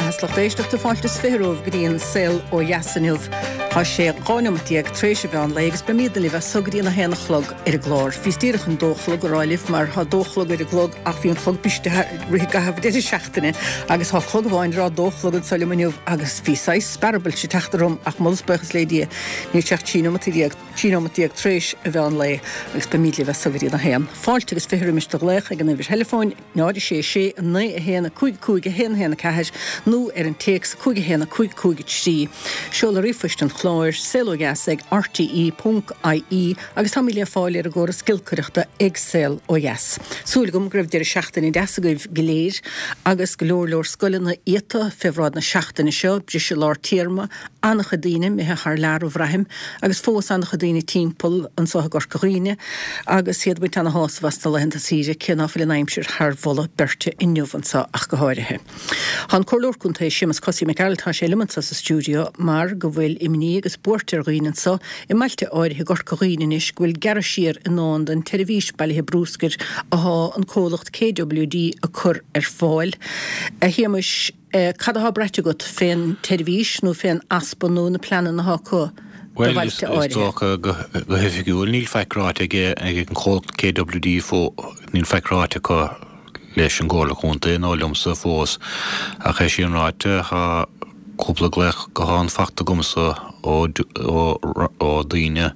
beatha is lucht éisteachta, fáilte is 20 romhaibh go dtí an Saol Ó Dheas inniu. Tá sé 12 neomat tar éis an mheán lae agus beimídne libh as so go dtí an 1 a chlog ar an gclár. Bhíos díreach chun dó a chlog a rá libh mar tá dó a chlog ar an gclog ach bhí an clog briste i rith i gcaitheamh deireadh seachtaine agus tá clog amháin ag rá dó a chlog anso liom inniu agus bhí saghas spearabailt ag teacht orm ach moladh is buíochas le Dia níl sé ach 13 neomat. 13 nóimeat tar éis an mheán lae agus beimíd libh as so go dtí an 1. Fáilte agus 20 roimis do ghlaoch ag an uimhir theileafóin, 0 6 6 9 1 5 5 1 1 4 nó ar an téacs 5 1 5 5 3. Seoladh ríomhphoist an chláir, saolodheas ag rte ponc ie agus táimid le fáil ar an gcóras giolcaireachta ag Saol Ó Dheas. Súil agam go raibh deireadh seachtaine deas agaibh go léir agus go leor leor scoileanna iata fé bhráid na seachtaine seo, briseadh lár téarma, An-chuid daoine imithe thar lear a bhraithim, agus fós an-chuid daoine timpeall anso i gCorca Dhuibhne agus iad ag baint ana-shásamh as na laethanta saoire, cé ná fuil an aimsir thar mholadh beirte inniu anso ach go háirithe. Tá an Comhairleoir Contae Séamus Cosaí Mac Gearailt, tá sé liom anso sa stiúideo mar go bhfuil imní agus buairt ar dhaoine anso i mbailte áirithe i gCorca Dhuibhne anois go bhfuil gearradh siar i ndán don tseirbhís bailithe brúscair athá an comhlacht KWD ag cur ar fáil. A Shéamuis, Cad athá braite agat fén tseirbhís nó fén easpa nó na pleananna athá acu do Bhuel, bhailte is áirithe? dócha go hoifigiúil níl faic ráite ag an chomhlacht KWD fós, níl faic ráite acu leis an gComhairle Contae nó liomsa fós ach é sin ráite tá cúpla glaoch gutháin fachta agamsa ó ó daoine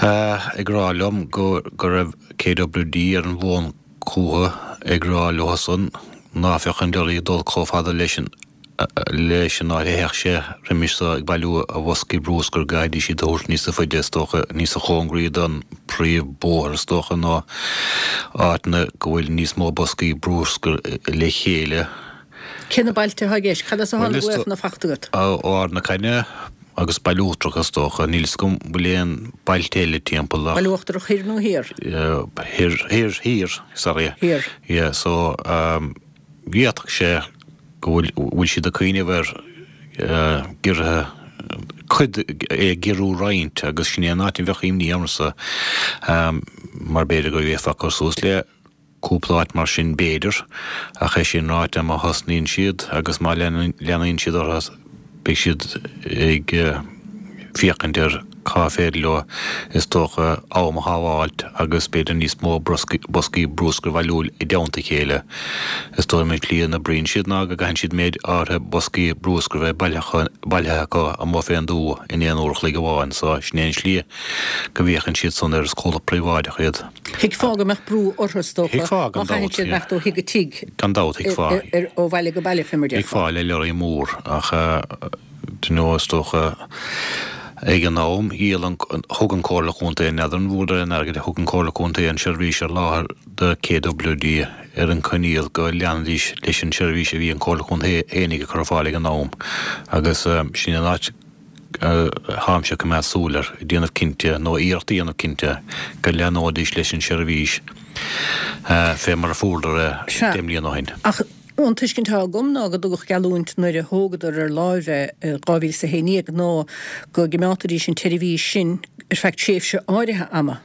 ag rá liom go raibh KWD ar an bhfón chucu ag rá leothusan ná bheadh an leoraí ag dul chomh fada leis an leis an áit a théadh sé roimis so ag bailiú a bhoscaí brúscair go gcaithfidís iad a thabhairt níosa faide is dócha, níosa chóngaraí don príomhbhóthar is dócha nó áiteanna go bhfuil níos mó boscaí brúscair le chéile. Cé na bailte atá i gceist? Cad as atá na glaochanna fachta agat? Ó Ard na Caithne agus Baile Uachtarach is dócha. Níl fhios agam bhfuil aon bailte eile timpeall ach. Baile Uachtarach thoir nó thiar? Thoir, thoir, thiar, sorry. Thiar. Yeah, so d'fhéadfadh sé go bhfuil, bhfuil siad ag cuimhneamh ar giorraithe, cuid, é a ghiorrú roinnt agus sin é an áit a bheadh imní ormsa mar b'fhéidir go bhféadfá cur suas le Cúpla áit mar sin b'fhéidir, ach é sin ráite má thosnaíonn siad agus má leanaíonn siad orthu beidh siad ag féachaint ar cá féidir leo is dócha am a shábháilt agus b'fhéidir níos mó boscaí brúscair a bhailiú i dteannta a chéile. Is dóigh liom an tslí a n-oibríonn siad ná go gcaitheann siad méid áirithe boscaí brúscair a bheith bailithe acu amuigh fén dtuath in aon uair a chloig amháin so sin é an slí go bhféachann siad san air is comhlacht príobháideach iad. Thuigfeá go mbeadh brú orthu, is dócha, Thuigfeá, má gan chaitheann dabht, siad yeah. imeacht ó thigh go tigh, Gan dabht, thuigfeá. ó bhaile go baile, fé mar déarfá. Thuigfeá le leoraí mór, ach do you know, is dócha, ag an am, dhíol an, thug an Comhairle Chontae, n'fheadar an bhfuaireadar aon airgead, thug an Comhairle Contae an seirbhís ar láthair do KWD ar an coinníoll go leanfaidís leis an seirbhís a bhí an Comhairle Chontae fhéinig ag cur ar fáil ag an am agus sin an áit Táimse ag coimeád súil air, ag déanamh cinnte, nó iarracht a dhéanamh cinnte, go leathnóidís leis an seirbhís fé mar a fuaireadar é Sea, 10 mbliana ó shin. ach an tuiscint atá agam ná go dtugadh geallúint nuair a thógadar ar láimh é i 2011 ná go gcimeádfaidís an tseirbhís sin ar feadh tréimhse áirithe ama.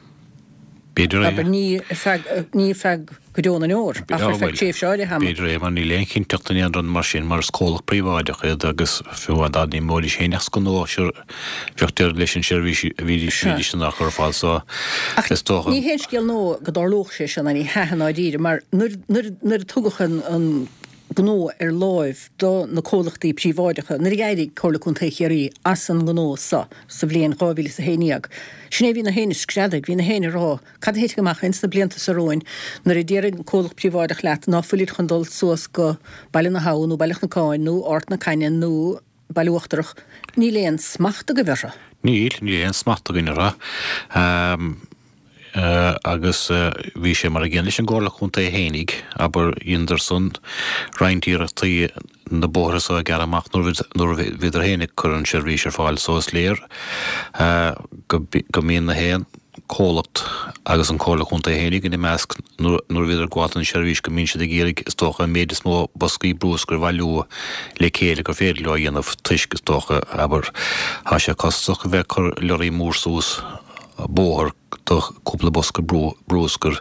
B'fhéidir é. Abair, ní ar feadh, ní ar feadh go deo na ndeor, ach ar feadh tréimhse áirithe ama. B'fhéidir é, mar níl aon chinnteacht in aon rud mar sin, mar is comhlacht príobháideach iad agus fiú amháin dá n-imeoidís féin as gnó, sure, bheadh deireadh leis an seirbhís a bhídís, bhídís in ann a chur ar fáil, so Ach is dócha. ní haon scéal nua go dtarlódh sé seo, ná ní hea i ndáiríre, mar nuair, nuair, nuair a tugadh an, an gnó ar láimh do na comhlachtaí príobháideacha, nuair a d'éirigh Comhairle Contae Chiarraí as an ngnó so sa bhliain 2011, sin é a bhí na héinne ag screadaigh, bhí na héinne ag rá, cad a thitfidh amach ins na blianta so romhainn nuair a déarfaidh an comhlacht príobháideach leat ná fuilid chun dul suas go Baile na hAbha nó Baile Chnocáin nó Ard na Caithne nó Baile Uachtarach, níl aon smacht agaibh orthu. Níl, níl aon smacht againn orthu. Agus bhí sé mar a gcéanna leis an gComhairle Contae fhéinig, abair, dheineadar san roinnt iarrachtaí na bóithre so a ghearradh amach nuair a bhíodar féin ag cur an seirbhís ar fáil so is léir go mbíonn na haon comhlacht agus an Comhairle Contae fhéinig ina measc nuair a bhíodar ag gabháil don seirbhís go mbíonn siad ag iarraidh is dócha an méid is mó boscaí brúscair a bhailiú le chéile gur féidir leo a dhéanamh toisc is dócha, abair, tá sé costasach a bheith ag cur leoraí mór suas bóthar do chúpla bosca brúscair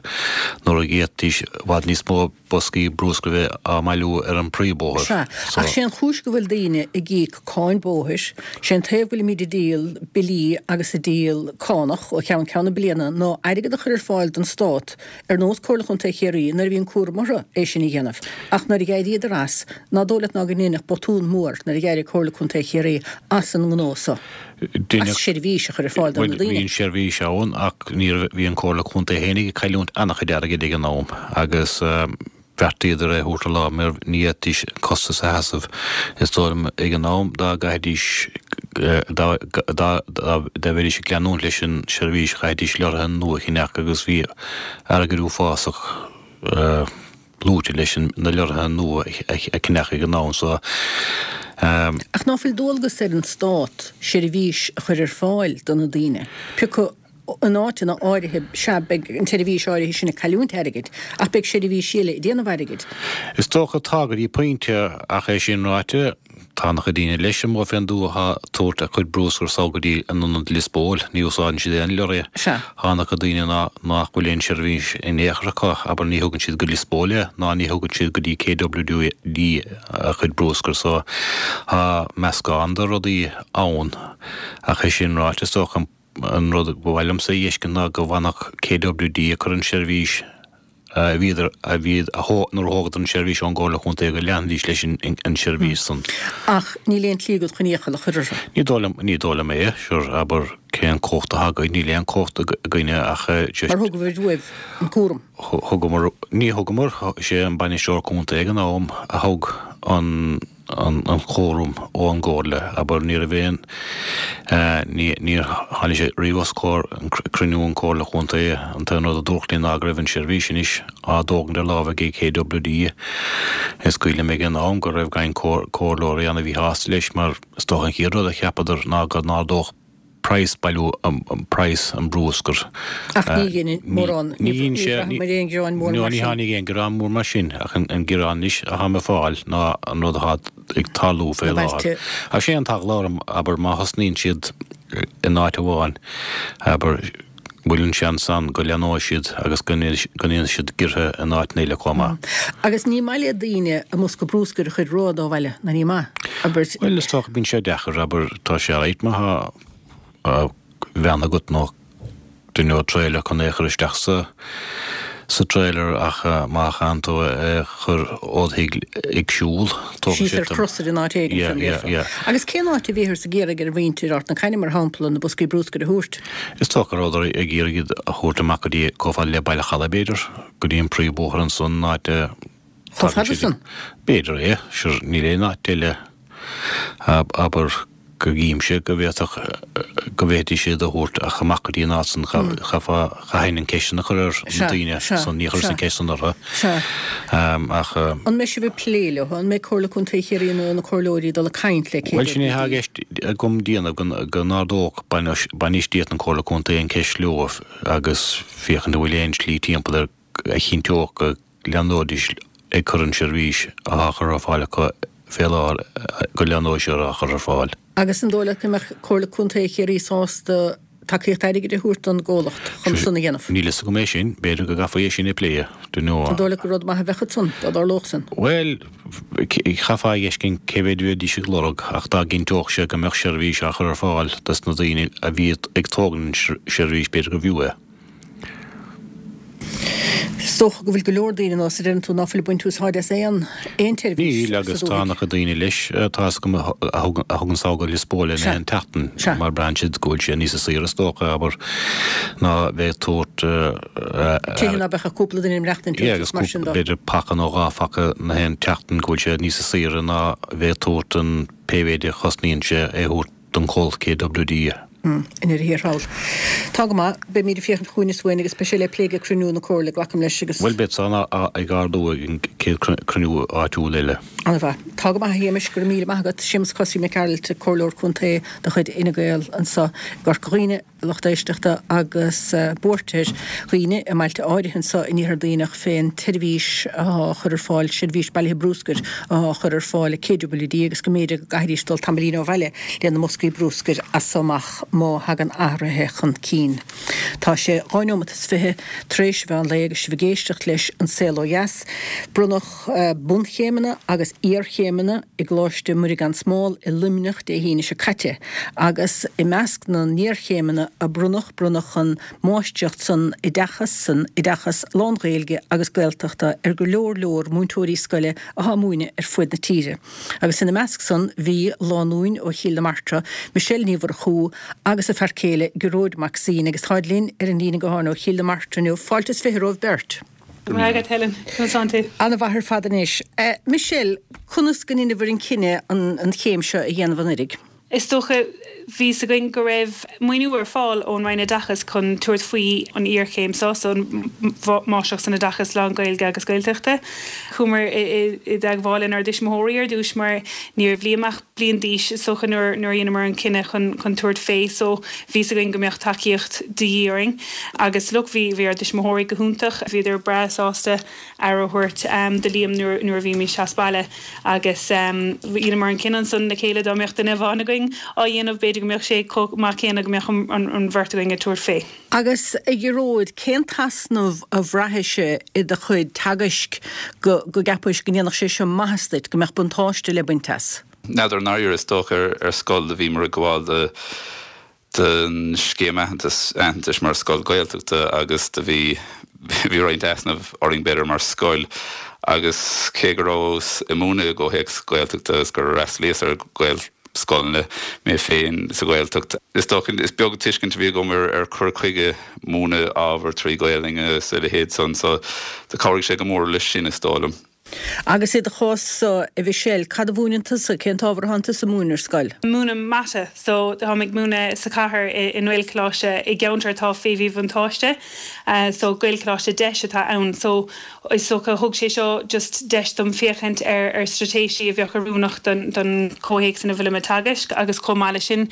nuair a d'fhéadfaidís i bhfad níos mó. boscaí brúscair a bheith á mbailiú ar an bpríomhbhóthar. Sea, ach sé an chúis go bhfuil daoine ag íoc cáin bóthair, sé an taobh go bhfuilimíd ag díol billí agus ag díol cánach ó cheann ceann na bliana ná airgead a chur ar fáil don Stát ar nós Comhairle Chontae Chiarraí nuair a bhí an cúram orthu é sin a dhéanamh. Ach nuair a dh'éiríodar as, ná dóigh leat ná go ndeineadh botún mór nuair a dh'éirigh Comhairle Contae Chiarraí as an ngnó so. As seirbhís a chur ar fáil do na daoine. Bhuel, bhí an seirbhís ann ach ní raibh, bhí an Comhairle Contae fhéinig ag cailliúint an-chuid airgid ag an am agus bheartaíodar é a thabhairt ar láimh mar ní fhéadfaidís an costas a sheasamh. Is dóigh liom ag an am dá gcaithfidís, dá, dá, dá mbeidís ag leanúint leis an seirbhís chaithfidís leoraithe nua a cheannach agus bhí airgead uafásach luaite leis na leoraithe nua a cheannach ag an am so. Ach ná fuil dualgas ar an Stát seirbhís a chur ar fáil do na daoine? Pioca in áiteanna áirithe, sea, beidh an tseirbhís áirithe sin ag cailliúint airgid, ach beidh seirbhísí eile ag déanamh airgid. Is dócha tá go dtí pointe, ach é sin ráite, Tá an-chuid daoine leis amuigh fén dtuath atá ag tabhairt a cuid brúscair sall go dtí an ionad Lios Póil, ní úsáideann siad aon leoraí. Sea. Tá an-chuid daoine ná nach bhfuil aon seirbhís in aon chor acu, abair ní thugann siad go Lios Póil é, ná ní thugann siad go dtí KWD a chuid brúscair so tá meascán de rudaí ann ach é sin ráite is dócha an rud ba mhaith liomsa a fheiscint ná go bhfanfadh KWD ag cur an seirbhís a bhíodar, a bhí, a thó, nuair a thógadar an seirbhís ón gComhairle Chontae go leanfaidís leis an seirbhís san. Ach níl aon tslí agat chun iachall a chur orthu. Ní dóigh liom, ní dóigh liom é, sure, abair, cén cumhacht atá againn, níl aon cumhacht againne ach just. Mar thugaibh uaibh an cúram. Thugamar, ní thugamar, sé an bainisteoir contae ag an am a thug an, an cúram ón gComhairle, abair, ní raibh aon, ní, níor tháinig sé riamh os comhair cruinniú an Chomhairle Chontae. An t-aon rud a dúradh linn ná go raibh an seirbhís anois á dtógaint ar láimh ag KWD. Is cuimhin liom ag an am go raibh roinnt comhairleoirí ann a bhí sásta leis mar is dócha an chéad rud a cheapadar ná go n-ardódh praghas bailiú praghas an brúscair. Ach ní dhein mórán, ní bhraitheamar aon ghearán mór mar sin. Ní tháinig aon ghearán mór mar sin, ach an gearán anois atá mé ag fáil ná an rud atá ag tarlú fé láthair. Ach sé an t-eagla orm, abair, má thosnaíonn siad in áit amháin, abair, bhfuil an seans ann go leathnóidh siad agus go ndéanfaidh siad giorruithe in áiteanna eile chomh maith. Agus ní maith le daoine a mbosca brúscair a chur rófhada ó bhaile, ná ní maith, abair. Bhuel, is dócha bíonn sé deacair, abair, tá sé alright má tá veain agat nó duine ó trailer chun é a chur isteach sa sa trailer ach má chaitheann tú é a chur ód thigh ag siúl, tógann sé. Síos ar chrosaire in áit éigin, Yeah, yeah, yeah. Agus cén áit a bhíothas ag iarraidh ar mhuintir Ard na Caithne, mar shampla, na boscaí brúscair a thabhairt? Is dócha go rabhadar ag iarraidh iad a thabhairt amach go dtí chomh fada le Baile Chalaidh, b'fhéidir, go dtí an príomhbhóthar ansan, an áit a Chomh fada san? B'fhéidir é, sure, níl aon áit eile, abair, go gcímse go bhféadfadh, go bhféadfaidís iad a thabhairt ach amach go dtí an áit san, chaithfeá, chaithfinn an ceist san a chur ar na daoine san, ní chuireas an ceist san orthu, ach. An mbeidh sibh ag plé leo? An mbeidh Comhairle Contae Chiarraí nó na comhairleoirí ag dul ag caint le Bhuel, sin é atá i gceist agam déanamh, go n-ardódh bainistíocht na Comhairle Contae an ceist leo agus féachaint an bhfuil aon slí timpeall air a chinnteodh go leanóidís ag cur an seirbhís atá á chur ar fáil acu fé láthair, go leanóidh siad á chur ar fáil. Agus an dóigh leat go mbeadh Comhairle Contae Chiarraí sásta tacaíocht airgid a thabhairt don gcomhlacht chun san a dhéanamh? Níl fhios agam é sin. B'fhéidir go gcaithfí é sin a phlé, dunno. An dóigh leat gur rud maith a bheadh ansan, dá dtarlódh san? Bhuel, chaithfeá a fheiscint cé mhéid a bheidís ag lorg ach dá gcinnteodh sé go mbeadh seirbhís á chur ar fáil dos na daoine a bhí ag tógaint an seirbhís, b'fhéidir gurbh fhiú é. Is dócha go bhfuil go leor daoine nós a deireann tú ná fuil ag baint úsáid as aon aon tseirbhís Níl sa agus tá dúthaigh. an-chuid daoine leis, tá fhios agam, a thugann sall go Lios Póil in aon tseachtain mar braitheann siad go bhfuil sé níosa saoire is dócha, abair, ná bheith ag tabhairt Tithe ná beadh ach cúpla duine ag maireachtaint iontu is mar sin de. B'fhéidir paca nó dhá phaca na haon tseachtain go bhfuil sé níosa saoire ná bheith ag tabhairt an pé mhéid a chosnaíonn sé é a thabhairt don chomhlacht KWD. I ndeireadh thiar thall. Tá go maith. Beimíd ag féachaint chugainn is uainn agus beidh sé le plé ag cruinniú na Comhairle, glacaim leis, agus. Bhuel, beidh san ag ardú ag an chéad cruinniú áitiúil eile. An-mhaith. Tá go maith, a Shéamais, go raibh míle maith agat. Séamus Cosaí Mac Gearailt, Comhairleoir Contae de chuid Fhine Gael anso i gCorca Dhuibhne. lucht éisteachta agus buairt ar dhaoine i mbailte áirithe anso in Iarthar Duibhneach fén tseirbhís athá á chur ar fáil, seirbhís bailithe brúscair athá á chur ar fáil ag KWD agus go mb'fhéidir go gcaithfidís dul tamaillín ó bhaile le na mboscaí brúscair as so amach. má thagann athruithe chun cinn. Tá sé 2 neomat is 20 tar éis an mheán lae agus sibh ag éisteacht leis An Saol Ó Dheas. Bronnadh bunchéimeanna agus iarchéimeanna i gColáiste Muire Gan Smál i Luimneach Dé hAoine seo caite agus i measc na n-iarchéimeanna a bronnadh, bronnadh an Máistreacht san Oideachas, san Oideachas Lán-Ghaeilge agus Gaeltachta ar go leor leor múinteoirí scoile atá ag múineadh ar fuaid na tíre. Agus ina measc san bhí lánúin ó Chill na Martra, Michelle Ní Mhurchú agus a fear céile Gearóid Mac Suibhne agus táid linn ar an líne gutháin ó Chill na Martra inniu. Fáilte is 20 romhaibh beirt. Go raibh maith agat Helen. Conas tánn tú? Ana-mhaith ar fad anois. Michelle, conas go ndeineabhair an cinneadh an chéim seo a dhéanamh anuiridh? Is dócha, bhí 's againn go raibh maoiniú ar fáil ón Roinn Oideachais chun tabhairt faoi an iarchéim seo, so an Máistreacht san Oideachas Lán-Ghaeilge agus Gaeltachta. Chuamar i dteagmháil lenár dtuismitheoirí ar dtús mar ní raibh Liam ach bliain d'aois is dócha nuair a dheineamar an cinneadh chun chun tabhairt fé so bhí 's againn go mbeadh tacaíocht de dhíth orainn. Agus look bhí bhí ár dtuismitheoirí go hiontach, bhíodar breá sásta aire a thabhairt do Liam nuair a bhímís as baile agus dheineamar an cinneadh ansan le chéile dá mbeadh duine amháin againn á dhéanamh b'fhéidir go mbeadh sé chomh maith céanna go mbeadh an bheirt againn ag tabhairt fé. Agus a Ghearóid, cén t-easnamh a bhraithis i do chuid teagaisc go go gceapais go ndéanfadh sé seo maitheas duit, go mbeadh buntáiste le baint as? N'fheadar, i ndáiríre, is dócha ar scoil do bhíomar ag gabháil do don scéim aitheantais, aitheantais mar scoil Gaeltachta agus do bhí, bhí roinnt easnamh orainn b'fhéidir mar scoil agus cé go rabhas ag múineadh i gcomhthéacs Gaeltachta agus gur fhreastalaíos ar Ghaelscoileanna mé féin sa Ghaeltacht, is dócha, is beag tuiscint a bhí agam ar ar cur chuige múineadh ábhar trí Ghaelainn agus a leithéid san so do chabhraigh sé go mór leis sin is dóigh liom. Agus i do chás-sa, a Mhichelle, cad a mhúineann tusa? Cén t-ábhar atánn tusa a mhúineadh ar scoil? Múinim mata, so táim ag múineadh sa chathair i nGaelcholáiste i gceantar atá fé mhíbhuntáiste, so Gaelcholáiste Deis atá ann. So is dócha thug sé seo just deis dom féachaint ar ar straitéisí a bheadh oiriúnach don don chomhthéacs ina bhfuilim ag teagasc agus chomh maith leis sin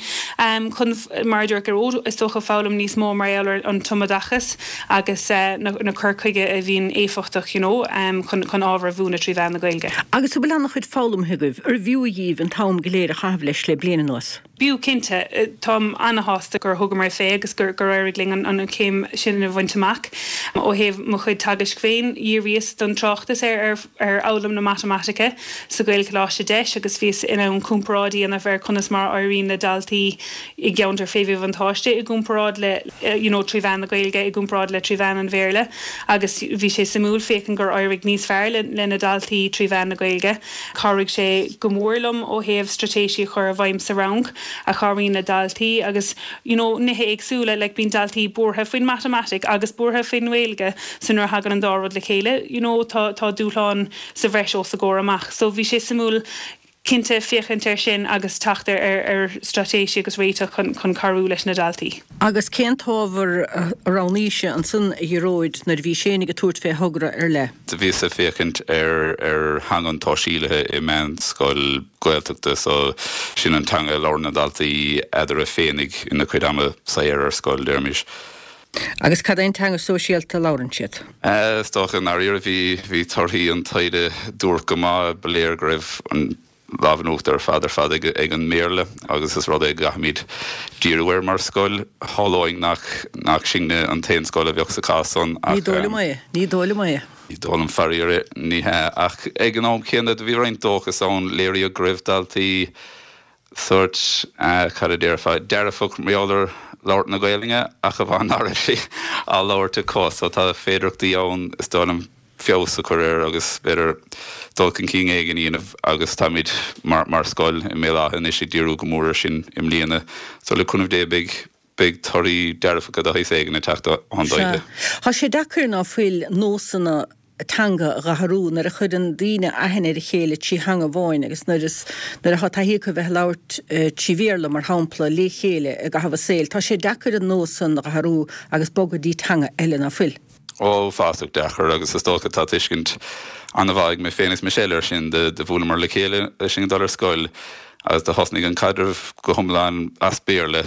chun, mar a dúirt Gearóid, is dócha foghlaim níos mó mar gheall ar an tumoideachas. agus na cur chuige a bhíonn éifeachtach you know chun chun ábhar a mhúineadh trí mheán na Gaeilge. Agus an bhfuil an-chuid foghlamtha agaibh? Arbh fhiú dhíbh an t-am go léir a chaitheamh leis le bliain anuas? B'fhiú cinnte. Táim ana-shásta gur thugamar fé agus gur gur éirigh linn an an chéim sin a bhaint amach. Ó thaobh mo chuid teagaisc féin, dhíríos don tráchtas ar ar ar fhoghlaim na matamaitice sa Ghaelcholáiste Deis agus bhíos in ann comparáid a dhéanamh ar conas mar a éiríonn le daltaí i gceantar fé mhíbhuntáiste i gcomparáid le you know trí mheán na Gaeilge i gcomparáid le trí mheán an Bhéarla agus bhí sé suimiúil féachaint gur éirigh níos fearr le le na daltaí trí mheán na Gaeilge. Chabhraigh sé go mór liom ó thaobh straitéisí a chur i bhfeidhm sa rang a chabhraíonn le daltaí agus you know nithe éagsúla like bíonn daltaí buartha faoin matamaitic agus buartha faoin nGaeilge so nuair a thagann an dá rud le chéile you know tá tá dúshlán sa bhreis os a gcomhair amach so bhí sé suimiúil cinnte féachaint air sin agus teacht ar ar straitéisí agus réiteach chun chun cabhrú leis na daltaí. Agus cén t-ábhar a roghnaís-se ansan, a Ghearóid, nuair a bhís fhéinig ag tabhairt fé thogra ar leith? Do bhíos ag féachaint ar ar theanga an tsóisialaithe i meánscoil Gaeltachta so sin an teanga a labhrann na daltaí eadarthu féinig ina cuid ama saor ar scoil, deirimis. Agus cad é an teanga sóisialta a labhrann siad? Is dócha, i ndáiríre, bhí, bhí torthaí an taighde duairc go maith. Ba léir go raibh an lámh in uachtar ar fad ar fad ag, ag an mBéarla agus is rud é go gcaithfimid díriú air mar scoil. Shamhlóinn nach, nach sinne an t-aon scoil a bheadh sa chás san ach. Ní dóigh liom é, ní dóigh liom é. Ní dóigh liom faraor é, ní hea. Ach ag an am céanna do bhí roinnt dóchas ann. Léiríodh go raibh daltaí sórt, cad a déarfá, dearfach mar gheall ar labhairt na Gaelainne ach amháin ná raibh sí á labhairt acu. So tá féidearthachtaí ann, is dóigh liom, feabhas a chur air agus b'fhéidir dul chun cinn éigin a dhéanamh agus táimid mar, mar scoil i mBéal Átha anois ag díriú go mór air sin i mbliana. So le cúnamh Dé beidh, beidh torthaí dearfacha de shaghas éigin ag teacht ann Sea. Tá sé deacair ná fuil nósanna teanga a dh'athrú nuair a chuireann daoine aithne ar a chéile trí theanga amháin agus nuair is nuair atá taithí acu a bheith ag labhairt trí Bhéarla, mar shampla, lé chéile i gcaitheamh a saoil. Tá sé deacair an nós san a dh'athrú agus bogadh dtí teanga eile, ná fuil? Uafásach deacair agus is dócha tá tuiscint an-mhaith ag mé féin is Michelle air sin. Do bhuaileamar le chéile agus sinn ag dul ar scoil agus do thosnaigh an caidreamh go hiomlán as Béarla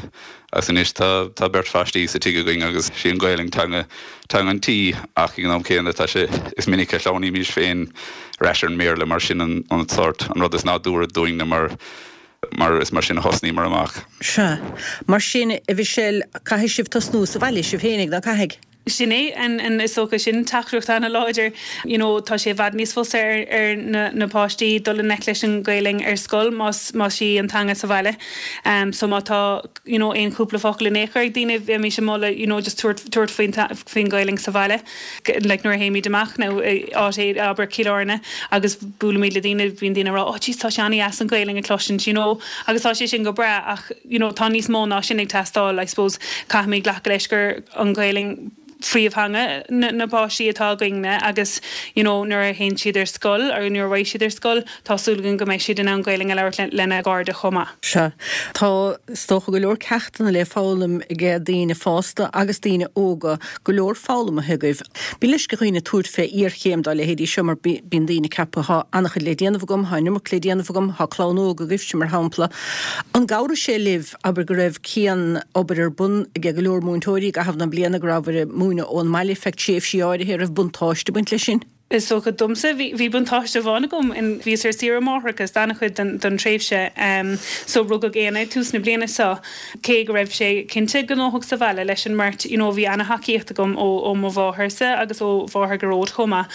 agus anois tá tá beirt phaistí sa tigh againn agus sí an Ghaelainn teanga teanga an tí ach ag an am céanna tá sé is minic a shleamhnaímís féin ar ais ar an mBéarla mar sin an an sórt an rud is nádúrtha dúinne mar. Mar is mar sin a thosnaíomar amach. Sea. Mar sin, a Mhichelle, caithfidh sibh tosnú sa bhaile, sibh fhéinig, ná caithfidh? Sin é, and is dócha sin teachtaireacht ana-láidir. You know, tá sé i bhfad níos fusa ar ar na na páistí dul i ngleic leis an Ghaelainn ar scoil más más í an teanga sa bhaile. So má tá, you know, aon chúpla focal in aon chor ag daoine, bheimis ag moladh, you know, just tabhairt tabhairt faoin faoin Ghaelainn sa bhaile. Like nuair a théimid amach nó áit, abair Cill Airne agus buailimid le daoine, bíonn daoine ag rá, oh jeez tá sé an-dheas an Ghaelainn a chloisint, you know, agus tá sé sin go breá ach, you know, tá níos mó ná sin ag teastáil, I suppose caithfimid glacadh leis gur an Ghaelainn phríomhtheanga na na páistí atá againne agus, you know, nuair a théann siad ar scoil or nuair a raghaidh siad ar scoil, Tá súil againn go mbeidh siad in ann Gaelainn a labhairt lena gcairde chomh maith. Sea. Tá, is dócha, go leor ceachtanna le foghlaim ag daoine fásta agus daoine óga, go leor foghlamtha agaibh. Bíonn leisce ar dhaoine tabhairt fé iarchéim dá leithéidí seo mar bíonn daoine ag ceapadh 'thá an-chuid le déanamh agam, thá an iomarca le déanamh agam, thá clann óg agaibhse mar shampla. An gcabhraigh sé libh, abair, go raibh cian-obair ar bun ag go leor múinteoirí i gcaitheamh na bliana, go rabhabhair ag múineadh ón mbaile feadh tréimhsí áirithe, an raibh buntáiste ag baint leis sin? Is dócha domsa, bhí buntáiste amháin agam, bhíos ar saoire máithreachais d'an-chuid den tréimhse. So rugadh Éanna ag tús na bliana seo. Cé go raibh sé cinnte gnóthach sa bhaile leis an mbeirt, you know bhí ana-thacaíocht agam ó mo mháthairse agus ó mháthair Ghearóid chomh maith.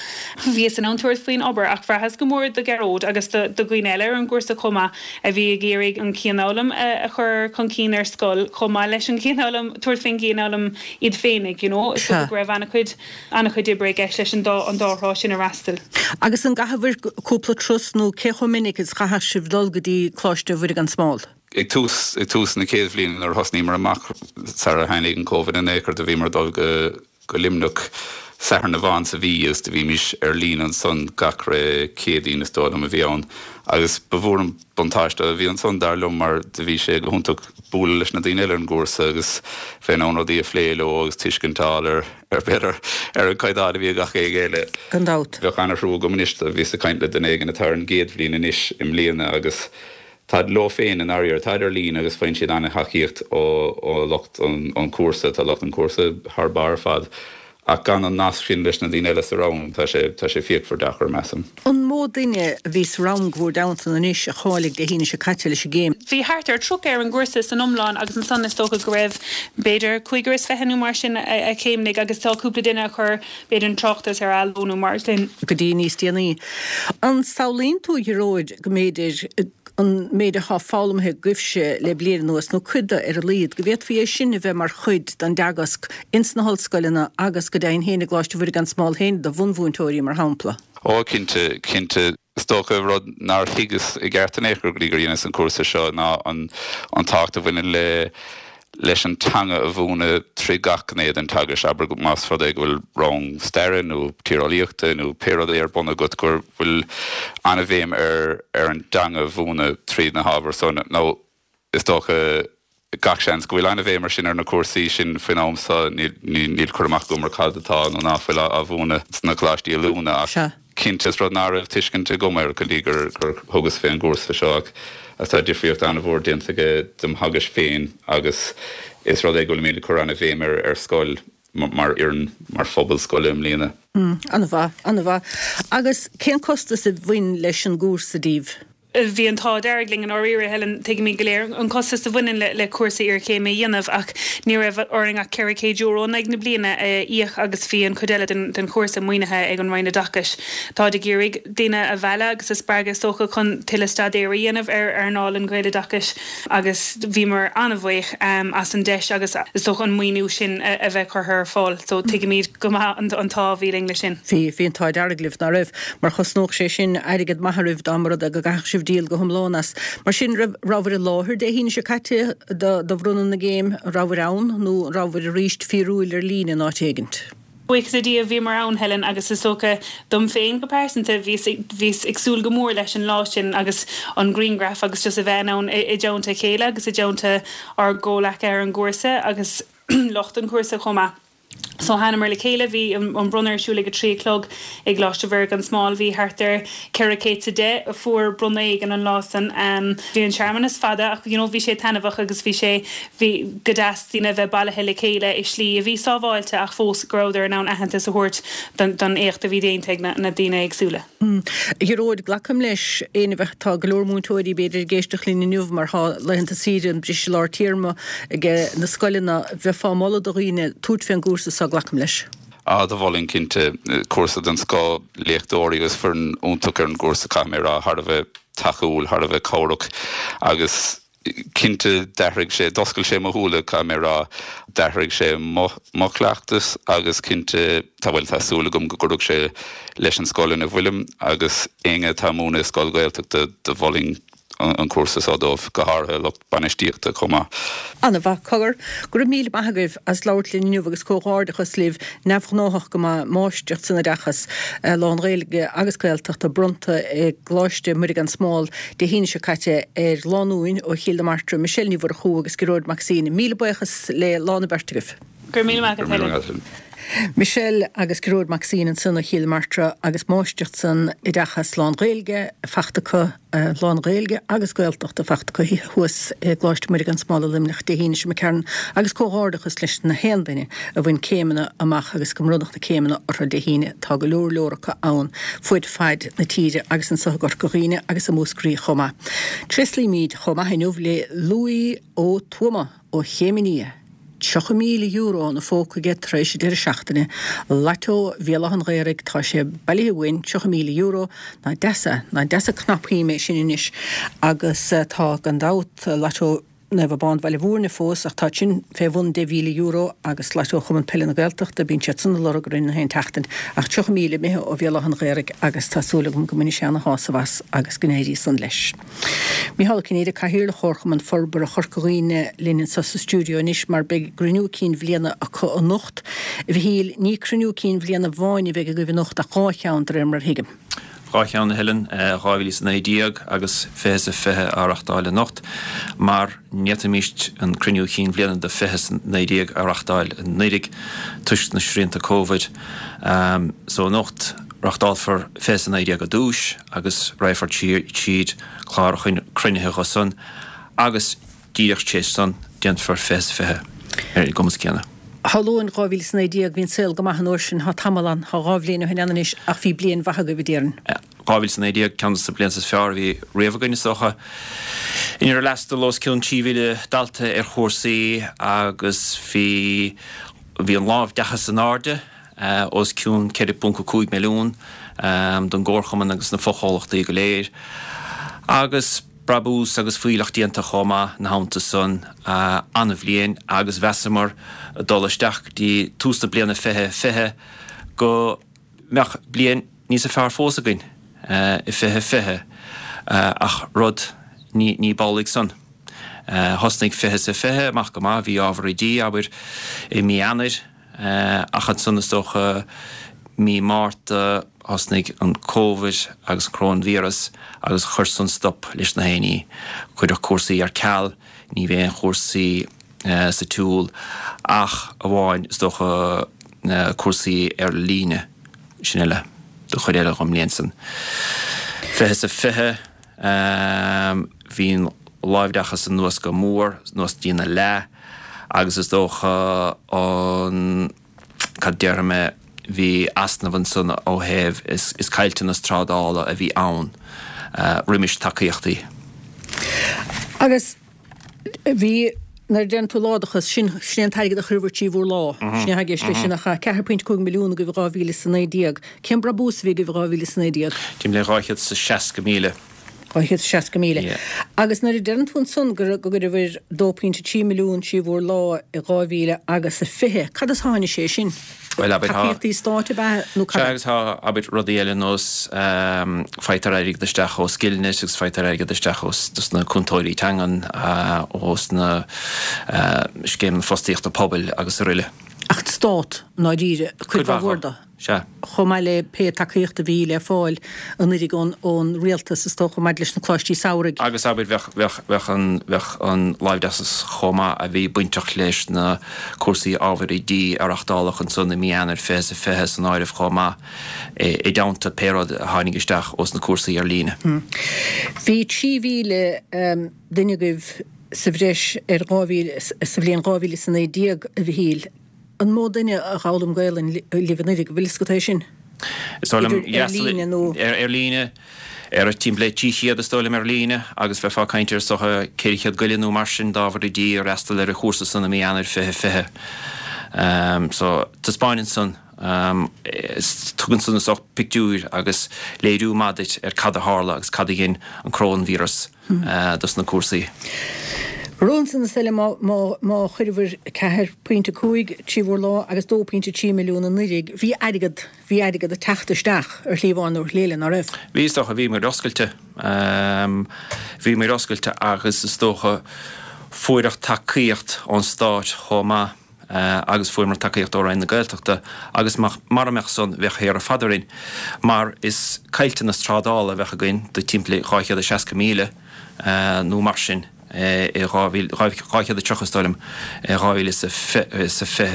Bhíos in ann tabhairt faoin obair ach bhraitheas go mór do Ghearóid agus do dhaoine eile ar an gcúrsa chomh maith a bhí ag iarraidh an cianfhoghlaim a chur chun cinn ar scoil chomh maith leis an gcianfhoghlaim, tabhairt faoin gcianfhoghlaim iad féinig, you know. Is dócha go raibh ana-chuid. An-chuid oibre i gceist leis an dá an dá thrá sin a fhreastal. Agus an gcaitheabhair cúpla turas nó cé chomh minic is chaithfeadh sibh dul go dtí Coláiste Mhuire gan Smál? Ag tús, ag tús na chéad bhliana nuair a thosnaíomar amach sara tháinig an Covid in aon chor do bhíomar ag dul go go Luimneach Satharn amháin sa mhí agus do bhímís ar líne ansan gach re Céadaoin is dóigh liom a bhí ann agus ba mhór an buntáiste a bhí ansan dar liom mar do bhí sé go hiontach bualadh leis na daoine eile ar an gcúrsa agus bheith in ann rudaí a phlé leo agus tuiscint a fháil ar ar b'fhéidir ar an gcaighdeán a bhí ag gach éinne eile. Gan dabht. Bheadh an-thrua agam anois, bhíos ag caint le duine éigin atá ar an gcéad bhliain anois i mbliana agus táid leo féin i ndáiríre, táid ar líne agus faigheann siad an-thacaíocht ó lucht an chúrsa, tá lucht an chúrsa thar barr ar fad ach gan an nasc sin leis na daoine eile sa rang, tá sé, tá sé fíochmhar deacair, measaim. An mó duine a bhí sa rang bhur dteannta anois a cháiligh Dé hAoine seo caite leis an gcéim? Bhí thart ar 30 ar an gcúrsa san iomlán agus ansan is dócha go raibh b'fhéidir cúigear is fiche nó mar sin a chéimnigh agus tá cúpla duine a chuir b'fhéidir an tráchtas ar athló nó mar sin. go dtí níos déanaí. An samhlaíonn tú, a Ghearóid, go mb'fhéidir an méid atá foghlamtha agaibhse le bliain anuas, nó cuid de ar a laghad, go bhféadfaí é sin a bheith mar chuid den dteagasc ins na hollscoileanna agus go deimhin féin i gColáiste Mhuire gan Smál féin do bhunmhúinteoirí, mar shampla? Ó, cinnte, cinnte. Is dócha, rud nár thuigeas i gceart in aon chor go dtí gur dheineas an cúrsa seo ná an tábhacht a bhaineann le leis an teanga a mhúineadh trí gach gné den teagasc, abair más rud é go bhfuil rang staire nó tíreolaíochta nó pé rud é ar bun agat, go bhfuil an-bhéim ar ar an dteanga a mhúineadh tríd na hábhair san. Nó is dócha, gach seans, go bhfuil an-bhéim ar sin ar na cúrsaí sin faoin am so. Níl cur amach agam ar cad atá nó ná fuil á mhúineadh sna coláistí oiliúna ach cinnte is rud ná raibh tuiscint agam air go dtí gur thugas fé an gcúrsa seo ach tá difríocht an-mhór déanta aige dom theagasc féin agus is rud é go bhfuilimid ag cur an-bhéim air ar scoil mar fhoireann, mar phobal scoile i mbliana. An-mhaith, an-mhaith. Agus cén costas a bhain leis an gcúrsa daoibh? Bhí an t-ádh dearg linn i ndáiríre, Helen. Tuigimid go léir an costas a bhaineann le cúrsa iarchéime a dhéanamh ach ní raibh orainn ach €400 in aghaidh na bliana a íoc agus bhí an chuid eile den chúrsa maoinithe ag an Roinn Oideachais. Táid ag iarraidh daoine a mhealladh agus a spreagadh is dócha chun tuilleadh staidéir a dhéanamh ar earnáil an Ghaeloideachais agus bhíomar an-bhuíoch as an deis agus is dócha an maoiniú sin a bheith curtha ar fáil. So tuigimid go maith an t-ádh a bhí linn leis sin. Bhí, bhí an t-ádh dearg libh, ná raibh? Mar chosnódh sé sin airgead maith oraibh dá mba rud é go gcaithfeadh sibh díol go hiomlán as. Mar sin, raibh, rabhabhair i láthair Dé hAoine seo caite do, do bhronnadh na gcéim? An rabhabhair ann nó an rabhabhair arís fíorúil ar líne in áit éigint? Buíochas le Dia, bhíomar ann, Helen, agus is dócha, dom féin go pearsanta, bhíos, bhíos ag súil go mór leis an lá sin agus an grianghraf agus just a bheith in ann i, i dteannta a chéile agus i dteannta ár gcomhleacaithe ar an gcúrsa agus lucht an chúrsa chomh maith. So thánamar le chéile, bhí an bronnadh ar siúl ag a 3 a chlog i gColáiste Mhuire gan Smál, bhí thart ar 410 a fuair bronnadh éigin an lá san. Bhí an searmanas fada ach you know bhí sé taitneamhach agus bhí sé, bhí go deas daoine a bheith bailithe le chéile i slí a bhí sábháilte ach fós go rabhadar in ann aitheantas a thabhairt don éacht a bhí déanta ag na daoine éagsúla. A Ghearóid, glacaim leis, éinne a bheadh, tá go leor múinteoirí b'fhéidir ag éisteacht linn inniu mar tá laethanta saoire, an briseadh lár téarma ag na scoileanna, bheifeá ag moladh do dhaoine tabhairt fén gcúrsa seo, glacaim leis. Á, do mholfainn cinnte. Cúrsa den scoth, léachtóirí agus foireann iontach ar an gcúrsa, caithfidh mé a rá, thar a bheith tacúil, thar a bheith cabhrach agus cinnte d'athraigh sé, d'oscail sé mo shúile, caithfidh mé a rá. D'athraigh sé mo, mo chleachtas agus cinnte tá, bhuel tá súil agam go gcuirfidh sé leis an scoil ina bhfuilim agus éinne atá ag múineadh i scoil Ghaeltachta do mholfainn an cúrsa seo dóibh, go háirithe lucht bainistíochta chomh maith. An-mhaith. Cogar, go raibh míle maith agaibh as labhairt linn inniu agus comhghairdeachas libh, neamhghnáthach go maith, Máistreacht san Oideachas lán-Ghaeilge agus Gaeltachta bronnta i gColáiste Muire gan Smál Dé hAoine seo caite ar lánúin ó Chill na Martra, Michelle Ní Mhurchú agus Gearóid Mac Suibhne. Míle buíochas le lán an bheirt agaibh. Go raibh míle maith agat, Helen. Michelle agus Gearóid Mac Suibhne ansan ó Chill na Martra agus Máistreacht san Oideachas lán-Ghaeilge fachta acu, lán-Ghaeilge agus Gaeltachta fachta acu thuas i gColáiste Muire gan Smál i Luimneach Dé hAoine seo imigh tharainn agus comhghairdeachas leis na haon duine a bhain céimeanna amach agus go mbronnadh na céimeanna orthu Dé hAoine. Tá go leor leor acu ann fuaid faid na tíre agus anso i gCorca Dhuibhne agus i Múscraí chomh maith. Tréaslaímíd chomh maith inniu le Louis Ó Tuama ó Chéim an Fhia. €30,000 ina phóca aige tar éis an deireadh seachtaine. Lató Bhéal Átha an Ghaorthaidh, tá sé bailithe uainn, €30,000. Nach deas é, nach deas an cnapshuim é sin anois. Agus tá, gan dabht, Lató. Naomh Abán Bhaile Mhúirne fós ach táid sin fé bhun €10,000 agus Lató Chumann Peile na Gaeltachta, bíonn siad san ag lorg orainn na haon tseachtain ach 30,000 imithe ó Bhéal Átha an Ghaorthaidh agus tá súil agam go mbainfidh sé ana shásamh as agus go n-éirí san leis. Mícheál Ó Cinnéide, Cathaoirleach Chomharchumann Forbartha Chorca Dhuibhne linn anseo sa stiúideo anois mar beidh gcruinniú cinn bhliana acu anocht. A Mhichíl, ní cruinniú cinn bhliana amháin a bheidh agaibh anocht ach dhá cheann de réir mar a thuigim. 2 cheann, a Helen, 2019 agus 20 is 20 á reachtáil anocht, mar ní fhéadfaimis an cruinniú chinn bhliana do 20 is 19 a reachtáil anuraidh toisc na srianta Covid. So anocht, reachtálfar 20 is 19 ar dtúis agus raghfar tríd clár cruinnithe dho san agus díreach tar éis san déanfar 20 is 20 ar an gcumas céanna. Shamhlóinn 2019, bhí an saol go maith an uair sin, thá tamall ann, thá 2 bhliain ó shin ann anois ach bhí bliain mhaith agaibh a déarfainn. 2019, ceann de na blianta is fearr a bhí riamh againn is dócha, inar fhreastail os cionn 3,000 dalta ar chúrsaí agus bhí bhí an láimhdeachas in airde, os cionn 4.5 milliún don gComharchumann agus na fochomhlachtaí go léir agus. Brabús agus fuílleach déanta chomh maith ina theannta san. An-bhliain agus mheasamar dul isteach go dtí tús na bliana 2020 go mbeadh bliain níosa fearr fós againn i 2020 ach rud ní b'amhlaidh san. Thosnaigh 20 is a 20 amach go maith, bhí ábhar oidí, abair, i mí Eanáir, Ach ansan is dócha mí Márta thosnaigh an Covid agus an Coróinvíreas agus chuir san stop leis na haon ní. Cuireadh cúrsaí ar ceal, ní bhí aon chúrsaí sa tsiúl ach amháin is dócha cúrsaí ar líne, sin uile don chuid eile dhon mbliain san. 20 is a 20. Bhí an láimhdeachas anuas go mór, anuas dtína leath, agus is dócha an, cad déarfaidh mé, bhí easnamh ansan ó thaobh, is caillteanas trádála a bhí ann roimis tacaíochtaí. Agus bhí, nuair a deireann tú láimhdeachas, sin, sin é an t-airgead a chuireabhair trí bhur lámh, sin é atá i gceist leis sin, ach 4.5 milliún agaibh i 2019. Cén brabús a bhí agaibh i 2019? Timpeall le 260,000. 260,000. Yeah. Agus nuair a deireann tú ansan go go gcuireabhair 2.3 milliún trí bhur lámh i 2000 agus a 20, cad as a tháinig sé sin? Bhuel, abair, tá. Tacaíochtaí stáit ab ea nó cad? Sea, agus tá, abair, rudaí eile ar nós faightear airgead isteach ó Skillnet agus faightear airgead isteach ó dos na cúntóirí teangan, ós na scéimeanna fostaíochta pobail agus aroile. Ach an stát, i ndáiríre, cuid mhaith mhór de. Sea. Chomh maith le pé tacaíocht a bhí le fáil anuiridh ón rialtas, is dócha, maidir leis na coláistí samhraidh. Agus abair, bheadh, bheadh, bheadh an, bheadh an láimhdeachas chomh maith a bhí bainteach leis na cúrsaí ábhair oidí a reachtáladh ansan i mí Eanáir 2020 san áireamh chomh maith, i dteannta pé rud a tháinig isteach ós na cúrsaí ar líne. Bhí 3,000 duine agaibh sa bhreis ar 2,000 sa bhliain 2019, a Mhichíl. An mó duine a dh'fhoghlaim Gaelainn libh anuiridh, an bhfuil fhios agat é sin? Is dóigh liom, Idir ar líne nó. Ar líne, ar timpeall le 300 is dóigh liom ar líne agus bheifeá ag caint ar is dócha 400 go leith nó mar sin d'ábhar oidí a fhreastal ar an chúrsa san i mí Eanáir 2020. So, taispeáineann san, tugann san is dócha pictiúir agus léiriú maith duit ar cad a tharla agus cad a dhein an coróinvíreas. dos na cúrsaí. Roimhe san is eile má chuireabhair 4.5 trí bhur lámh agus 2.3 milliún anuiridh, bhí airgead, bhí airgead ag teacht isteach ar shlí amháin nó ar shlí eile, ná raibh? Bhí, is dócha, bhíomar oscailte. Bhíomar oscailte agus is dócha fuaireadh tacaíocht ón Stát chomh maith. agus fuaireamar tacaíocht ó Roinn na Gaeltachta agus mara mbeadh san bheadh ar fad orainn mar is caillteanas trádála a bheadh againn de timpeall 260,000 nó mar sin i 2000, 230 is dóigh liom, i 2020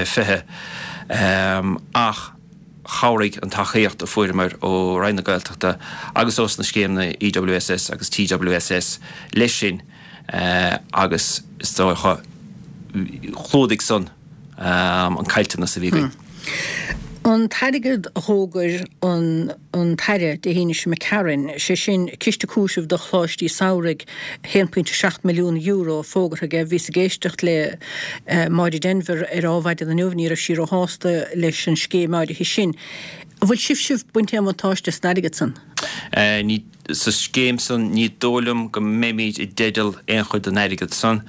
20 ach chabhraigh an tacaíocht a fuaireamar ó Roinn na Gaeltachta agus ós na scéimeanna EWSS agus TWSS leis sin. agus is dócha chlúdaigh san an caillteanas a bhí againn. An t-airgead a dh'fhógair an an tAire Dé hAoine seo imigh tharainn, sé sin ciste cúitimh do choláistí samhraidh, €1.7 milliún fógartha aige. Bhíos ag éisteacht le Máire Denvir ar Ádhmhaidin inniu, ní raibh sí róshásta leis an scéim áirithe sin. An bhfuil sibhse ag baint aon bhuntáiste as an airgead san? Ní. Sa scéim san ní dóigh liom go mbeimíd i dteideal aon chuid den airgead san.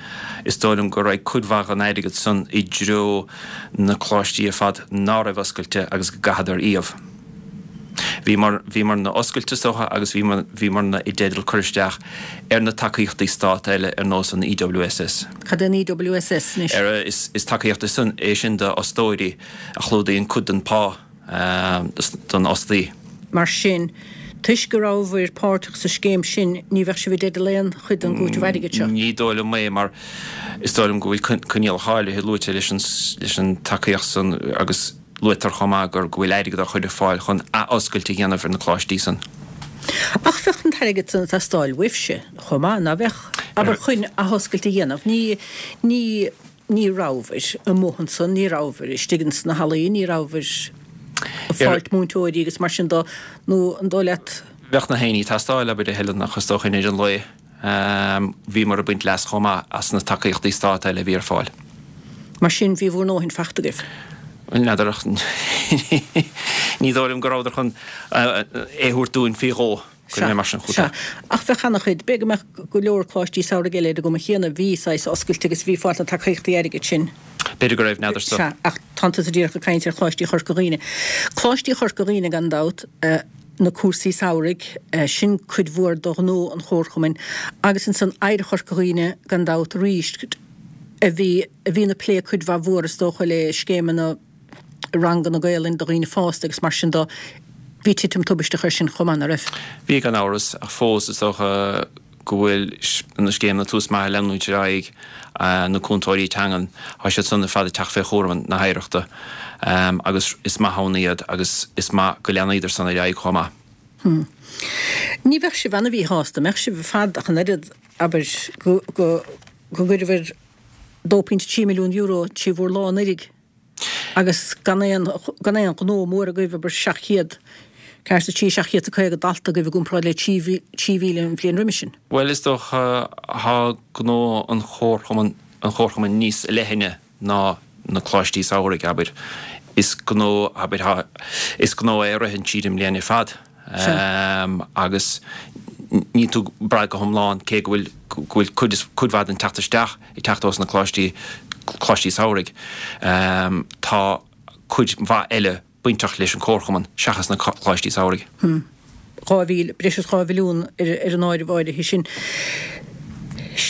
Is dóigh liom go raghaidh cuid mhaith den airgead san i dtreo na coláistí ar fad ná raibh oscailte agus go gcaitheadar iamh. Bhíomar, bhíomarna oscailte is dócha agus bhíomar, bhíomarna i dteideal cur isteach ar na tacaíochtaí stát eile ar nós an EWSS. Cad é an EWSS anois? Ar, is, is tacaíocht é sin do fhostóirí a chlúdaíonn cuid den pá. don fhostaí. Mar sin, toisc go rabhabhair páirteach sa scéim sin, ní bheadh sibh i dteideal aon chuid den gcúiteamh airgid seo. Ní dóigh liom é, mar is dóigh liom go bhfuil coinníollacha áirithe luaite leis an leis an tacaíocht san agus luaitear chomh maith gur go bhfuil airgead á chur ar fáil chun athoscailt a dhéanamh ar na coláistí san. Ach bheadh an t-airgead san ag teastáil uaibhse chomh maith, ná bheadh? Abair chun athoscailt a dhéanamh. Ní, ní. Ní rabhabhair amuigh ansan, ní rabhabhair istigh ins na hallaí, ní rabhabhair ag fáilt múinteoirí agus mar sin do, nó an dóigh leat? Bheadh na haonaí ag teastáil, abair, a Helen, ach is dócha i ndeireadh an lae, bhíomar ag baint leas chomh maith as na tacaíochtaí stát eile a bhí ar fáil. Mar sin, bhí bhur ndóthain fachta agaibh? Bhuel, n'fheadar ach ní dóigh liom go rabhadar chun é a thabhairt dúinn faoi dhó. Sea, sea. Ach bheadh ana-chuid, b'fhéidir go mbeadh go leor coláistí samhraidh eile ar an gcuma chéanna, bhí saghas oscailte agus bhí fáilt na tacaíochtaí airgid sin. B'fhéidir go raibh, n'fheadarsa. Sea, ach tánn tusa díreach ag caint ar Choláistí Chorca Dhuibhne. Coláistí Chorca Dhuibhne gan dabht, na cúrsaí samhraidh, sin cuid mhór de ghnó an Chomharchumainn agus ansan Oidhreacht Chorca Dhuibhne gan dabht arís, a bhí, a bhíonn ag plé cuid mhaith mhór is dócha le scéimeanna, ranganna Gaelainn do dhaoine fásta agus mar sin do. Bhí titim tubaisteach air sin chomh maith, ná raibh? Bhí gan amhras, ach fós is dócha go bhfuil na scéimeanna Tús Maith ag leanúint ar aghaidh, na cúntóirí teangan, tá siad san ar fad ag teacht fé chúram na hOidhreachta agus is maith ann iad agus is maith go leanfaidar san ar aghaidh chomh maith. Hm. Ní bheadh sibh ana-mhíshásta, an mbeadh sibh ar fad ach an oiread, abair, go, go, go gcuireabhair €2.3 milliún trí bhur lámh anuiridh agus gan aon gan aon ghnó mór agaibh, abair 700, 4 is 3, 750 dalta agaibh i gcomparáid le 3,000 an bhliain roimis sin. Bhuel, is dócha, tá gnó an chomharchumainn an chomharchumainn níos leithne ná na coláistí samhraidh, abair. Is gnó, abair, tá, is gnó é a ritheann tríd an mbliain ar fad. Agus níl tú ag brath go hiomlán, cé go bhfuil go bhfuil cuid cuid mhaith den teacht isteach ag teacht ós na coláistí coláistí samhraidh. Tá cuid mhaith eile bainteach leis an Chomharchumann seachas na coláistí samhraidh. 2,000, breis is 2 mhilliún ar an áireamh áirithe sin.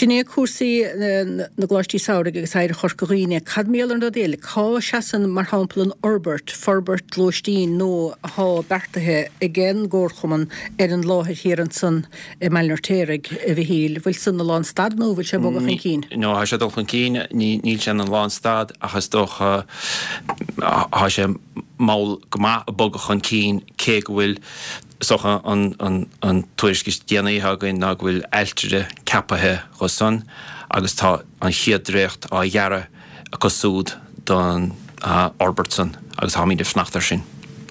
Sin é cúrsaí na gcoláistí samhraidh agus Oidhreacht Chorca Dhuibhne. Cad mar gheall ar an rud eile? Cá seasann, mar shampla, an fhorbairt, forbairt lóistín nua athá beartaithe ag an gComharchumann ar an láthair thiar ansan i mBaile an Fheirtéaraigh, a Mhichíl? Bhfuil san ina lánstad nó bhfuil sé ag bogadh chun cinn? No, tá sé ag dul chun cinn. Níl sé ina lánstad ach is dócha tá sé mall go maith ag bogadh chun cinn cé go bhfuil Is dócha an tuairisc is déanaí atá againn ná go bhfuil ailtire ceapaithe dho san agus tá an chéad dréacht á dhearadh acu súd don fhorbairt san agus táimid ag fanacht air sin.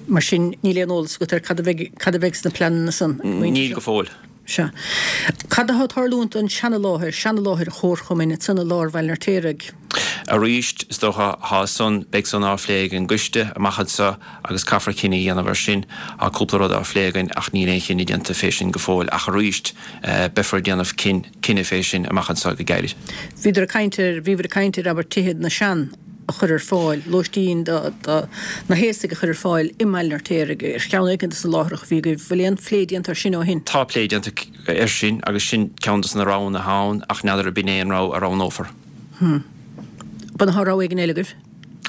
Mar sin, níl aon eolas agat ar cad a bheidh, cad a bheidh sna pleananna san? Níl go fóill. Sea. Cad atá ag tarlúint don seana-láthair, seana-láthair an Chomharchumainn ansan i lár Bhaile an Fheirtéaraigh? Arís, is dócha, thá san, beidh san á phlé ag an gcoiste amach anso agus caithfear cinneadh a dhéanamh ar sin. Tá cúpla rud á phlé againn ach níl aon chinneadh déanta fé sin go fóill ach arís, beifear ag déanamh cinneadh fé sin amach anso go gairid. Bhíodar ag caint ar, bhíobhair ag caint ar, abair, tithe na sean a chur ar fáil, lóistín do, do na haosaigh a chur ar fáil i mBaile an Fheirtéaraigh, ar cheann éicint de na láithreacha a bhí agaibh. Bhfuil aon phlé déanta ar sin ó shin? Tá plé déanta air sin agus sin ceann de na roghanna atá ann ach n'fheadar ab in é an rogha a roghnófar. Hm. An bhfuil rogha éigin eile agaibh?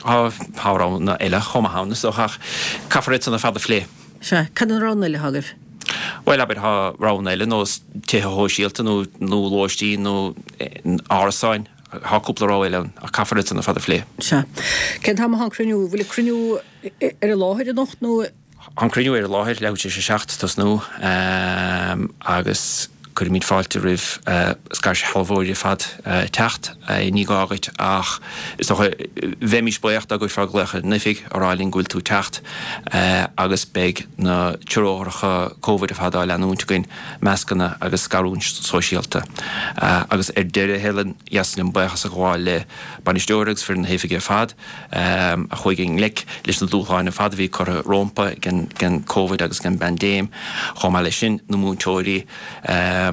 Tá, tá roghanna eile chomh maith ann is dócha ach caithfear iad san ar fad a phlé. Sea. Cad iad na roghanna eile atá agaibh? Bhuel, abair, tá roghanna eile nós tithe shóisialta nó, nó lóistín nó árasáin. Tá cúpla rogha eile ann ach caithfear iad san ar fad a phlé. Sea. Cén t-am atá an cruinniú? Bhfuil an cruinniú ar an láthair anocht nó? Tá an cruinniú ar an láthair, leathuair tar éis a 7 tosnú agus cuirimid fáilte roimh scairshealbhóirí ar fad teacht. Ní gá dhuit ach is dócha bheimís buíoch dá gcuirfeá glaoch ar an oifig a rá linn go bhfuil tú ag teacht agus beidh na treoracha Covid ar fad á leanúint againn, mascanna agus scarúint sóisialta. Agus ar deireadh, Helen, dheas liom buíochas a ghabháil le bainisteoir agus foireann na hoifige ar fad. a chuaigh i ngleic leis na dúshláin ar fad a bhí curtha rómpa ag an Covid agus ag an bpaindéim. Chomh maith leis sin, na múinteoirí a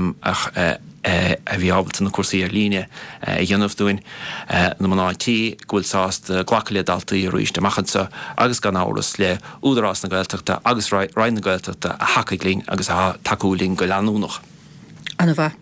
bhí ábalta na cúrsaí ar líne a dhéanamh dúinn, na mná tí go bhfuil sásta glacadh le daltaí arís amach anseo agus gan amhras le Údarás na Gaeltachta agus Roinn na Gaeltachta a thacaigh linn agus atá ag tacú linn go leanúnach. Ana-mhaith.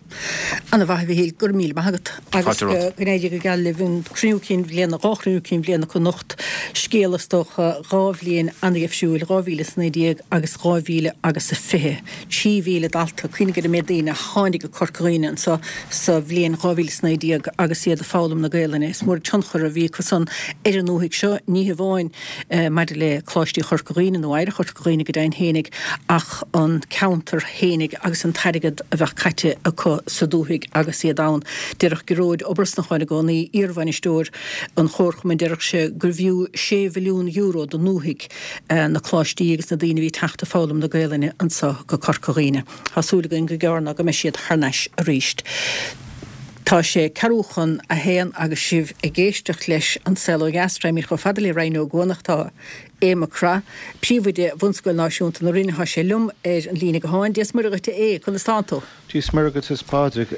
Ana-mhaith, a Mhichíl. Go raibh míle maith agat. Agus go n-éirí go geal libh an cruinniú cinn bhliana, 2 chruinniú cinn bhliana acu anocht. Scéal is dócha, 2 bhliain ana-dheifriúil, 2019 agus 2000 agus a 20. 3,000 dalta, cuimhnigh ar an méid daoine a tháinig go Corca Dhuibhne anseo sa bhliain 2019 agus iad ag foghlaim na Gaelainne. Is mór an tionchar a bhí acu san ar an ndúthaigh seo, ní hamháin maidir le Coláistí Chorca Dhuibhne nó Oidhreacht Chorca Dhuibhne go deimhin fhéinig ach an ceantar fhéinig agus an t-airgead a bheadh caite acu sa dúthaigh agus iad ann. Déarfadh Gearóid Ó Brosnacháin i gcónaí, iarbhainisteoir an Chomharchumainn, déarfadh sé gurbh fhiú €6 mhilliún don ndúthaigh na coláistí agus na daoine a bhí ag teacht ag foghlaim na Gaelainne anso go Corca Dhuibhne. Tá súil againn gur gearr ná go mbeidh siad thar n-ais arís. Tá sé ceathrú chun a haon agus sibh ag éisteacht leis An Saol Ó Dheas. Raghaimid chomh fada le Rinn Ó gCuanach. Tá Aodh Mac Craith, Príomhoide Bhunscoil Náisiúnta na Rinne, tá sé liom ar an líne gutháin. Dia 's Muire dhuit a Aodh, conas tánn tú? Dia 's Muire dhuit is Pádraig,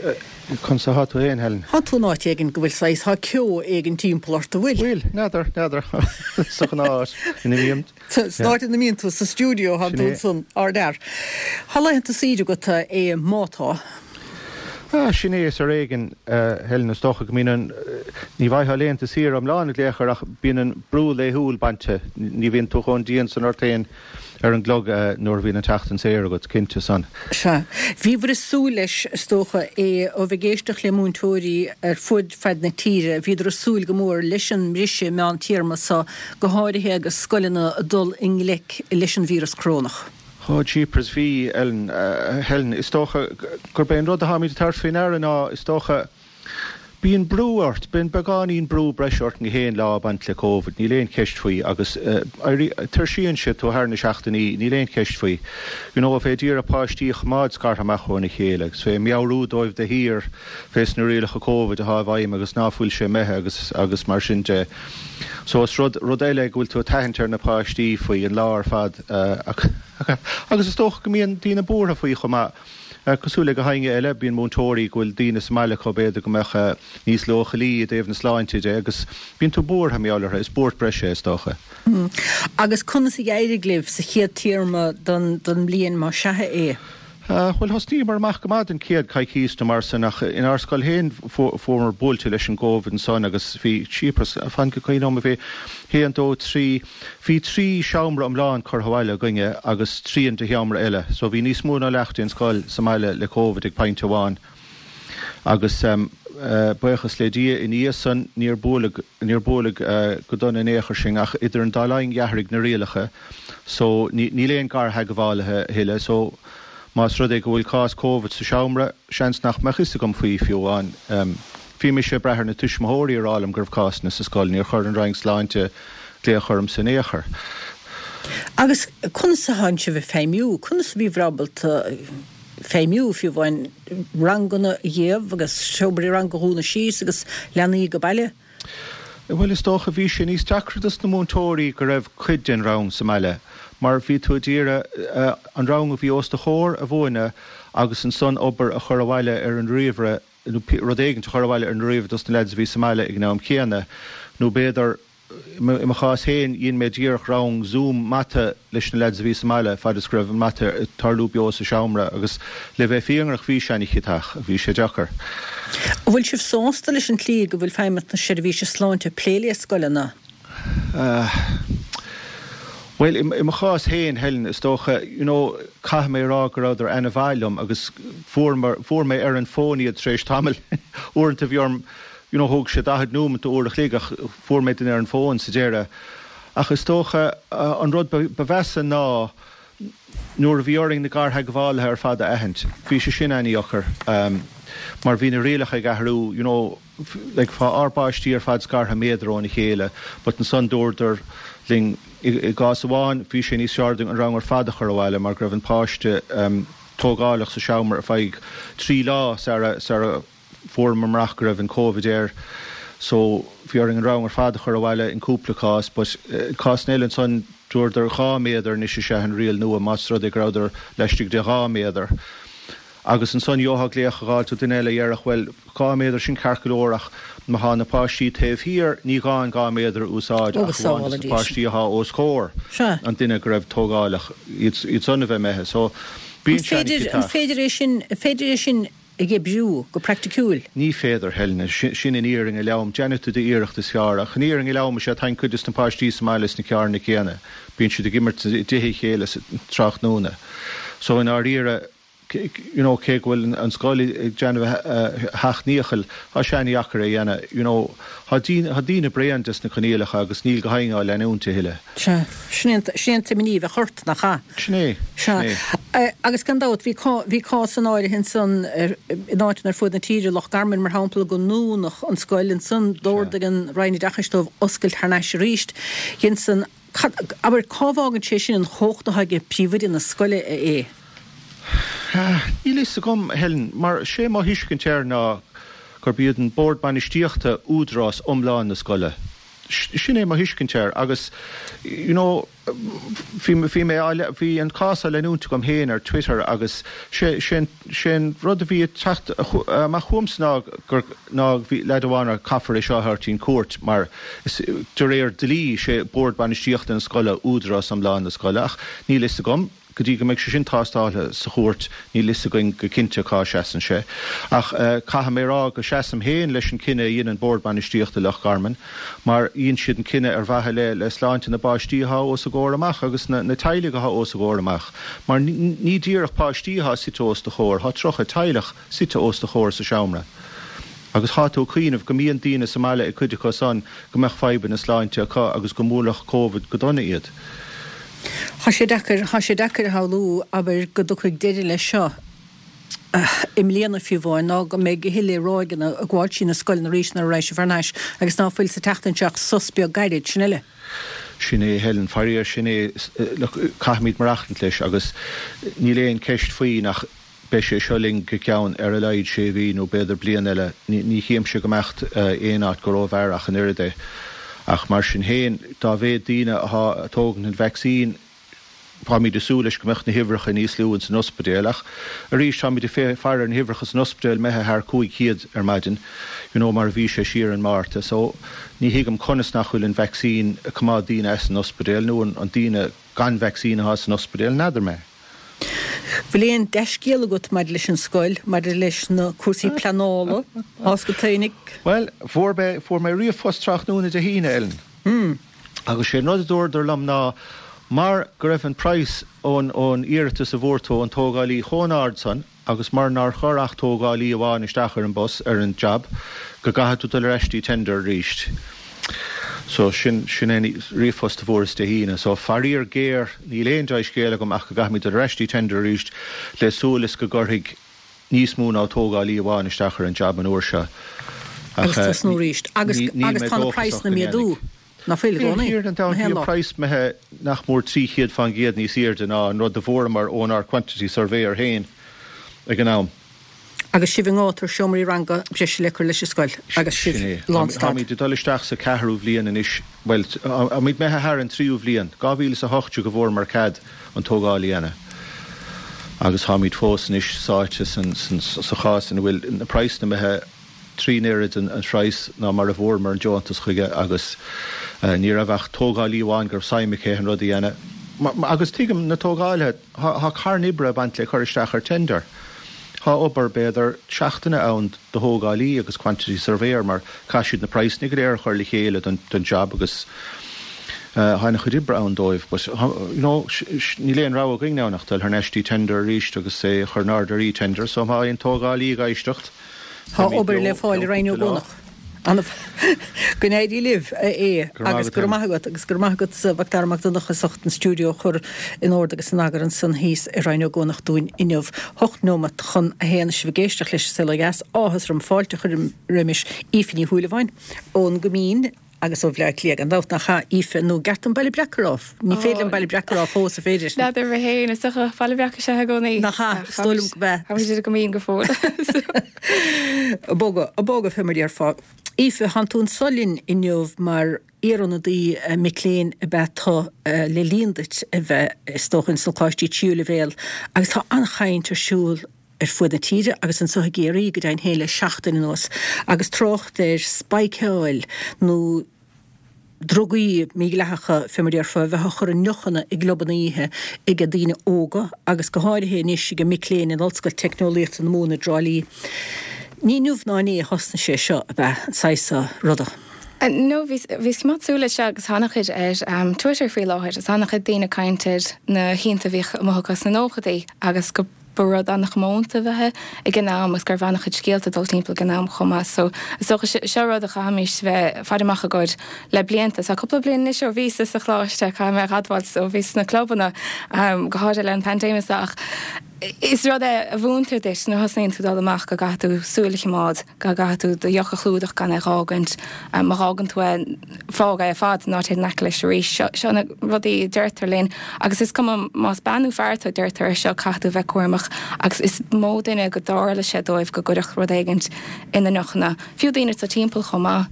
conas atá tú fhéin, Helen? Tá tú in áit éigin go bhfuil saghas, tá ceo éigin timpeall ort, an bhfuil? Bhfuil, n'fheadar, n'fheadar, sa ghnáth ina mbím. San áit ina mbíonn tú, sa stiúideo, tá tú ansan, ardfhear. Tá laethanta saoire agat, a Aodh, má tá. Ah, sin é, is ar éigean, Helen, is dócha go mbíonn an, ní bhfaighfeá laethanta saoire iomlán in aon chor ach bíonn an brú laethúil bainte, ní bhíonn tú chomh dian san ort féin ar an gclog nuair a bhíonn an tseachtain saor agat, cinnte san. Sea. Bhíobhair ag súil leis, is dócha, é ó bheith ag éisteacht le múinteoirí ar fuaid fad na tíre, bhíodar ag súil go mór leis an mbriseadh meántéarma so, go háirithe agus scoileanna ag dul i ngleic leis an víreas corónach. Ó, jeepers, bhí, Ellen, Helen, is dócha gurb é an rud atáimid ag tabhairt faoi ndeara ná, is dócha, bíonn brú ort, bíonn beagáinín brú breise ort gach aon lá ag baint le Covid, níl aon cheist faoi, agus tuirsíonn sé tú thar na seachtainí, níl aon cheist faoi. You know, bheith ag iarraidh páistí a choimeád scartha amach óna chéile agus bheith ag meabhrú dóibh de shíor fés na rialacha Covid atá i bhfeidhm agus ná fuil sé imithe agus agus mar sin de. So is rud, rud eile é go bhfuil tú ag tathant ar na páistí faoi an lá ar fad agus is dócha go mbíonn daoine buartha faoi chomh maith. Cosúil le gach éinne eile, bíonn múinteoirí go bhfuil daoine sa mbaile acu b'fhéidir go mbeadh níos leochailí i dtaobh na sláinte de agus bíonn tú buartha mar gheall orthu. Is buairt breise é is dócha. Agus conas a d'éirigh libh sa chéad téarma don mbliain más sea é? Bhuel, thosnaíomar amach go maith don chéad coicís nó mar san ach inár scoil féin fuaireamar buailte leis an gCovid ansan agus bhí, jeepers, fan go gcuimhneoidh mé, bhí haon, dó, trí, bhí trí seomra iomlán curtha abhaile againne agus trian de sheomra eile so bhí níos mó ná leath den scoil sa mbaile le Covid ag pointe amháin. Agus buíochas le Dia, ina dhiaidh san, níor buaileadh, níor buaileadh go dona in aon chor sinn, ach idir an dá linn d'athraigh na rialacha so níl aon gartheagmhálaithe a thuilleadh so más rud é go bhfuil cás Covid sa seomra, seans nach mbeadh fhios agam faoi fiú amháin. Bhí mise ag brath ar na tuismitheoirí a rá liom go raibh cásanna sa scoil, níor chuir an Roinn Sláinte glaoch ormsa in aon chor. Agus conas atánn sibh ag feidhmiú? Conas a bhíobhair ábalta feidhmiú, fiú amháin ranganna a dhéamh agus seomraí ranga a dhúnadh síos agus leanaí ag baile? Bhuel, is dócha, bhí sé níos deacra dos na múinteoirí go raibh cuid den rang sa mbaile mar bhí tú ag iarraidh an rang a bhí os do chomhair a mhúineadh agus ansan obair a chur abhaile ar an ríomhaire nó rud éigint a chur abhaile ar an ríomhaire dos na leaids a bhí sa mbaile ag an am chéanna nó b'fhéidir I mo chás féin, dhein mé díreach rang Zoom mata leis na leaids a bhí sa mbaile fad is go raibh an mata ag tarlú beo sa seomra agus le bheith fírinneach bhí sé an-chiotach, bhí sé deacair. An bhfuil sibh sásta leis an tslí go bhfuil Feidhmeannas na Seirbhíse Sláinte ag plé le scoileanna? Bhuel, i mo chás féin, Helen, is dócha, you know, caithfidh mé a rá go rabhadar ana-mhaith liom agus fuair, fuair mé ar an bhfón iad tar éis tamaill. Uaireanta bhí orm you know thóg sé 40 nóimeat nó uair a chloig ach fuair mé duine ar an bhfón sa deireadh. Ach is dócha an rud ba mheasa ná nuair a bhí orainn na gartheagmhálaithe ar fad a aithint. Bhí sé sin an-dheacair mar bhí na rialacha ag athrú, you know, like tá ár bpáistí ar fad scartha méadar óna chéile but ansan dúradar linn i gcás amháin bhí sé níos fearr dúinn an rang ar fad a chur abhaile mar go raibh an páiste tógálach sa seomra ar feadh 3 lá sara sara Fuaireamar amach go raibh an Covid air so bhí orainn an rang ar fad a chur abhaile in cúpla cás but i cásanna eile ansan dúradar 2 méadar anois is ea an riail nua más rud é go rabhadar laistigh de 2 méadar. Agus ansan gheofá glaoch a dh'fháilt ó duine eile a dhéarfadh bhuel 2 méadar sin ceart go leor ach má thá na páistí taobh thiar ní gá an 2 méadar a úsáid ach amháin dos na páistí athá os comhair an duine go raibh tógálach iad san a bheith imithe so bíonn sé an-chiotach. An féidir é sin, an féidir é sin a oibriú go praiticiúil. Ní féidir, Helena. Sin an fhírinne lom. Déanfaidh tú d'iarracht is fearr. Ach an fhírinne lom is ea tagann cuid des na páistí sa mbaile sna carranna céanna. Bíonn siad ag imirt i dtithe a chéile sa tráthnóna. So i ndáiríre, you know, cé go bhfuil an scoil ag déanamh a sheacht ndícheall, tá sé an-dheacair é a dhéanamh. You know, tá daoine bréan des na coinníollacha agus níl go hagainn á leanúint a thuilleadh. Sea. Sin é an t-imní a bheadh ort, nach ea? Sin é. Sin é. Sea. Agus gan dabht, bhí bhí cásanna áirithe ansan in áiteanna ar fuaid na tíre, Loch Garman mar shampla, go ndúnadh an scoil. Ansan d'ordaigh an Roinn Oideachais dóibh oscailt thar n-ais arís. Dhein san, cad, abair, cá bhfágann sé sin an chumhacht atá ag príomhoide na scoile é? Níl fhios agam, Helen, mar sé mo thuiscint air ná gurb iad an Bord Bainistíochta údarás iomlán na scoile. Sin é mo thuiscint air agus you know bhí bhí mé á bhí an cás á leanúint agam féin ar Twitter agus sé sé sé an rud a bhí ag teacht amach chugamsa ná gur ná bhí leaid amháin ar caithfear é seo a thabhairt chun cúirt mar is de réir dlí sé bord bainistíochta na scoile údarás iomlán na scoile ach níl fhios agam Go dtí go mbeidh sé sin tástáilte sa chúirt, níl fhios againn go cinnte cá seasann sé. Ach caithfidh mé a rá go seasaim féin leis an cinneadh a dhein an Bord Bainistíochta i Loch Garman, mar dhein siad an cinneadh ar mhaithe le le sláinte na bpáistí athá os a gcomhair amach agus na na teaghlaigh athá os a gcomhair amach. Mar ní díreach páistí athá suite os do chomhair, thá 30 teaghlach suite os do chomhair sa seomra. Agus thá tú ag cuimhneamh go mbíonn daoine sa mbaile ag cuid acu san go mbeadh fadhbanna sláinte acu agus go mbuailfeadh Covid go dona iad. Thá sé deacair, thá sé deacair a shamhlú, abair, go dtiocfaidh deireadh leis seo i mbliana fiú amháin, ná go mbeidh a thuilleadh ráigeanna ag gabháil trí na scoileanna arís nuair a raghaidh sibh thar n-ais agus ná fuil sa tseachtain seo ach sos beag gairid, sin uile. Sin é, Helen, faraor, sin é, look, caithfimid maireachtaint leis agus níl aon cheist faoi nach Beidh sé seo linn go ceann ar a laghad sé mhí nó b'fhéidir bliain eile. Ní chímse go mbeadh aon áit go rófhearr ach an oiread é. Ach mar sin féin, dá mhéad daoine athá ag tógaint an vacsaín, táimid ag súil leis go mbeadh na huimhreacha níos lú ins an ospidéal. Ach arís, táimid ag faire ar na huimhreacha san ospidéal imithe thar 500 ar maidin, you know, mar a bhí sé siar in Márta. So, ní thuigim conas nach bhfuil an vacsaín ag coimeád daoine as an ospidéal nó an daoine gan vacsaín athá san ospidéal, n'fheadar mé. Bhfuil aon dea-scéal agat maidir leis an scoil, maidir leis na cúrsaí pleanála, thás go taoinig? Bhuel, fuair mé, fuair mé ríomhphost tráthnóna Dé hAoine, Ellen. Agus sé an rud a dúradar liom ná mar go raibh an praghas ón, ón iarratas a bhfuair tú ón tógálaí chomh an-ard san, agus mar nár chuir ach tógálaí amháin isteach ar an bpost, ar an job, go gcaithfidh tú dul ar ais dtí tender arís. So, sin, sin é an ríomhphost a fuaireas Dé hAoine. So, faraor géar, níl aon dea-scéal agam ach go gcaithfimid dul ar ais dtí tender arís le súil is go gcuirfidh níos mó ná tógálaí amháin isteach ar an job an uair seo. Ach, Agus tosnú arís. Agus, níl agus mé tá na dóchasach praghsanna go méadú. ndéanfaidh. Ná fuil i Bhí gcónaí? an Na bhí haon an lá. praghas imithe nach mór 300 fán gcéad níos airde ná an rud a bhfuaireamar ónár quantity surveyor féin ag an am. Agus sibh i ngátar seomraí ranga breise le cur leis an scoil agus sibh Sin é. lánstad. Táimid ag dul isteach sa ceathrú bhliain anois, bhuel, táimid imithe thar an tríú bhliain, 2018 a bhfuaireamar cead an tógáil a dhéanamh agus táimid fós anois sáite sa chás ina bhfuil na praghsanna imithe trína oiread an phraghas ná mar a bhfuaireamar an deontas chuige agus ní raibh ach tógálaí amháin go raibh suim aici an rud a dhéanamh. Agus tuigim na tógálaithe, tá carn oibre ag baint le cur isteach ar tender. Tá obair b'fhéidir seachtaine ann do thógálaí agus quantity surveyor mar caithfidh siad na praghsanna go léir a chur le chéile don job agus tá an-chuid oibre ann dóibh. But you know níl aon rogha againn ann ach dul thar n-ais dtí tender arís agus é a chur in airde ar e-tender so má tá aon tógálaí ag éisteacht, Tá obair le fáil i Roinn Ó gCuanach. Go n-éirí libh, a Aodh, agus go raibh maith agat, agus go raibh maith agatsa, Macdara Mac Donncha, as ucht an stiúideo a chur in ord agus in eagar ansan thíos i Roinn Ó gCuanach dúinn inniu. 8 nóimeat chun a haon, sibh ag éisteacht leis an Saol Ó Dheas. Áthas orm fáilte a chur roimis Aoife Ní Shúilleabháin ón gCoimín. Agus ó Bhleá Cliath, gan dabht, nach ea, Aoife, nó an gceart dom Baile Breac a rá? Ní féidir liom Baile Breac a rá fós, an féidir? N'fheadar mé féin, is dócha Baile Breac is ea i gcónaí. Nach ea, is dóigh liom go b'ea. Táimid i gCoimín go fóill. Ag bogadh, ag bogadh, fé mar a déarfá. Aoife, thánn tú anso linn inniu mar iarionadaí mic léinn ab ea tú le linn duit a bheith, is dócha, ins na coláistí tríú leibhéal agus tá an-chaint ar siúl ar fuaid na tíre agus anso i gCiarraí go deimhin féin le seachtain anuas agus trácht ar spáiceáil nó drugaí mídhleathacha, fé mar a déarfá, a bheith á chur i ndeochanna i gclubanna oíche ag daoine óga agus go háirithe anois ag mic léinn in Ollscoil Teicneolaíochta na Mumhan i dTrá Lí. Ní inniu ná inné a thosnaigh sé seo, ab ea, an saghas seo ruda? No, bhíos ag coimeád súil air seo agus tá an-chuid ar Twitter faoi láthair agus an-chuid daoine ag caint ar na hoícheanta a bhíodh amuigh acu sna nóchaidí agus go Ba rud an-chomónta a bheith ag an am agus go raibh an-chuid scéalta ag dul timpeall ag an am chomh maith. So is dócha seo rud a chaithfimis bheith faire amach i gcomhair le blianta. Tá cúpla bliain anois ó bhíos sa choláiste, caithfidh mé a admháil, ó bhíos sna clubanna, go háirithe le an paindéim is ach is rud é a mhúintear duit nuair a thosnaíonn tú dul amach go gcaithfidh tú súil a choimeád, go gcaithfidh tú do dheoch a chlúdach gan é a dh'fhágaint, má dh'fhágann tú é, fág é ar fad, ná téigh in aice leis arís. Seo na rudaí a deirtear linn agus is cuma más bean nó fear tú, deirtear é seo, caithfidh tú bheith cúramach agus is mó duine go dtarla sé dóibh go gcuireadh rud éigint ina ndeochanna, fiú daoine sa timpeall chomh maith,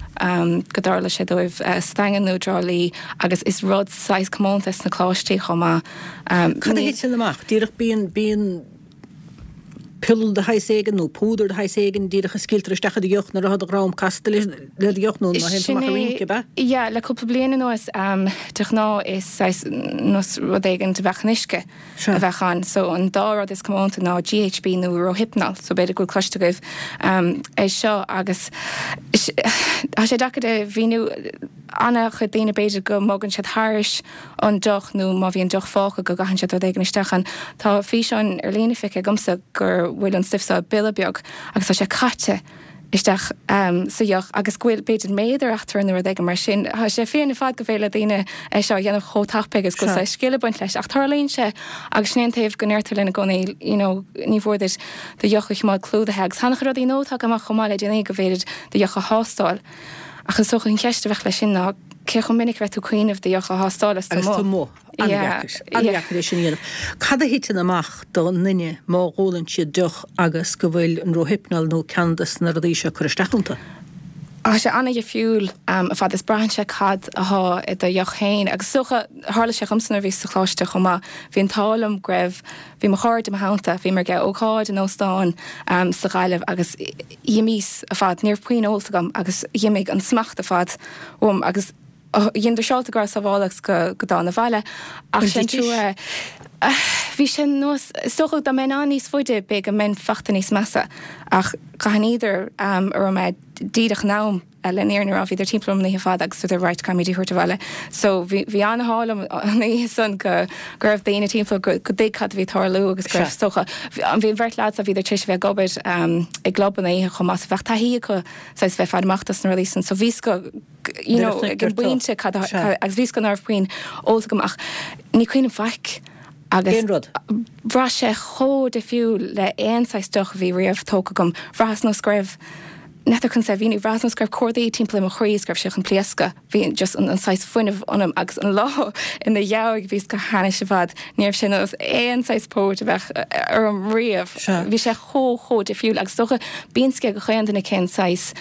go dtarla sé dóibh sa Daingean nó i dTrá Lí agus is rud saghas comónta sna coláistí chomh maith. Cad a thiteann amach? Díreach bíonn, bíonn. piolla de shaghas éigin nó púdar de shaghas éigin díreach a scaoiltear isteach i do dheoch nuair atá do dhrom casta le do dheoch nó nuair a théann tú Sin amach ag é, rince, ab ea? yeah, le cúpla bliain anuas, de ghnáth is saghas nós rud éigin a bheadh in uisce Sea. a bheadh ann. So an dá rud is comónta ná GHB nó Rohypnol, so b'fhéidir go bhfuil cloiste agaibh é seo agus tá sé deacair a mhíniú, an-chuid daoine b'fhéidir go mbogann siad thairis an deoch nó má bhíonn deoch fágtha go gcaitheann siad rud éigin isteach ann. Tá físeáin ar líne feicthe agamsa go bhfuil an stuif seo i bpiolla beag agus tá sé caite isteach sa dheoch agus go bhfuil b'fhéidir méadar eatarthu nó rud éigin mar sin. Tá sé fiáin ar fad go féidir le daoine é seo a dhéanamh chomh tapaidh agus go bhfuil saghas scil ag baint leis ach tarlaíonn sé agus sin é an taobh go ndeirtear linn i gcónaí you know ní mhór duit do dheoch a choimeád clúdaithe agus tá an-chuid rudaí nua tagtha amach chomh maith le déanaí go bhféidir do dheoch a thástáil. Ach is dócha an cheist a bheadh leis sin ná cé chomh minic a bheadh tú ag cuimhneamh do dheoch a thástáil agus tú amuigh? An-dheacair. An-dheacair é sin a dhéanamh. Cad a thiteann amach do dhuine má dh'ólann siad deoch agus go bhfuil an Rohypnol nó ceann de na rudaí seo curtha isteach iontu? Tá sé an-dhifriúil ar fad is braitheann sé cad athá i do dheoch féin agus is dócha, tharla sé dhomsa nuair a bhíos sa choláiste chomh maith, bhí an t-ádh liom go raibh, bhí mo chairde i mo theannta, bhíomar ag ócáid in óstán sa Ghaillimh agus, D'imíos ar fad, ní raibh puinn ólta agam agus dh'imigh an smacht ar fad uaim agus. Dheineadar siúráilte go raibh sábháilte agus go dtána abhaile ach sin trua. Bhí sé nós, is dócha dá mbeinn ann níos faide b'fhéidir go mbeinn fachta níos measa ach d'aithníodar a raibh mé díreach in am le an fhírinne a rá, bhíodar timpeall orm an oíche fada agus dúradar right caithfimid í a thabhairt abhaile. So bhí bhí an-ádh liom an oíche san go go raibh daoine timpeall go go dtuig cad a bhí ag tarlú agus go raibh is dócha bhí an bheirt lads bhíodar tar éis a bheith ag obair i gclub an oíche chomh maith so bheadh taithí acu saghas bheith faire amach dos na rudaí san so bhí go you know, ag an bpointe cad a, agus bhí 's agam ná raibh puinn ólta agam ach ní cuimhin liom faic agus Cén rud? bhraith sé chomh difriúil le aon saghas deoch a bhí riamh tógtha agam. Bhraitheas nós go raibh, n'fheadar conas é a mhíniú, bhraitheas nós go raibh cordaí timpeall ar mo chroí is go raibh sé chun pléascadh. Bhí just an an saghas fuinneamh ionam agus an lá ina dhiaidh bhíos go hainnis ar fad. Ní raibh sé nós aon saghas póit a bheadh orm riamh. Bhí sé chomh chomh difriúil agus is dócha bíonn 's ag chaon duine cén saghas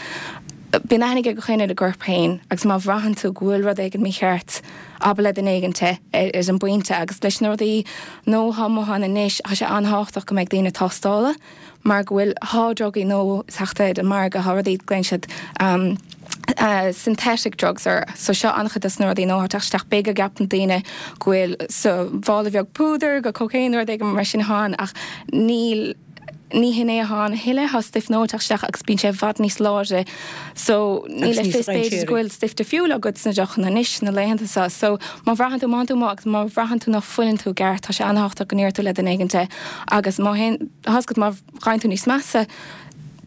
Bíonn aithne ag gach éinne ar a gcorp féin agus má bhraitheann tú go bhfuil rud éigin mícheart, abair le duine éigin é ar an bpointe agus leis na rudaí nua atá amuigh ann anois, tá sé an-thábhachtach go mbeidh daoine ag tástála mar go bhfuil, thá drugaí nua ag teacht ar an margadh, thá rudaí, glaonn siad synthetic drugs orthu. So seo an-chuid dos na rudaí nua atá ag teacht isteach. B'fhéidir go gceapann daoine go bhfuil sa mhála bheag púdair, go cocaine nó rud éigin mar sin atá ann ach níl. Ní hin é atá ann a thuilleadh, tá stuif nua ag teacht isteach agus bíonn sé i bhfad níos láidre so níl Agus a níos fios b'fhéidir go dainséaraí. bhfuil stuif difriúil agat sna deochanna anois na laethanta seo. So má bhraitheann tú, má théann tú amuigh agus má bhraitheann tú ná fuileann tú i gceart, tá sé an-thábhachtach go ndéarfaidh tú le duine éigin é agus má théann, tá 's agat má ghabhann tú níos measa,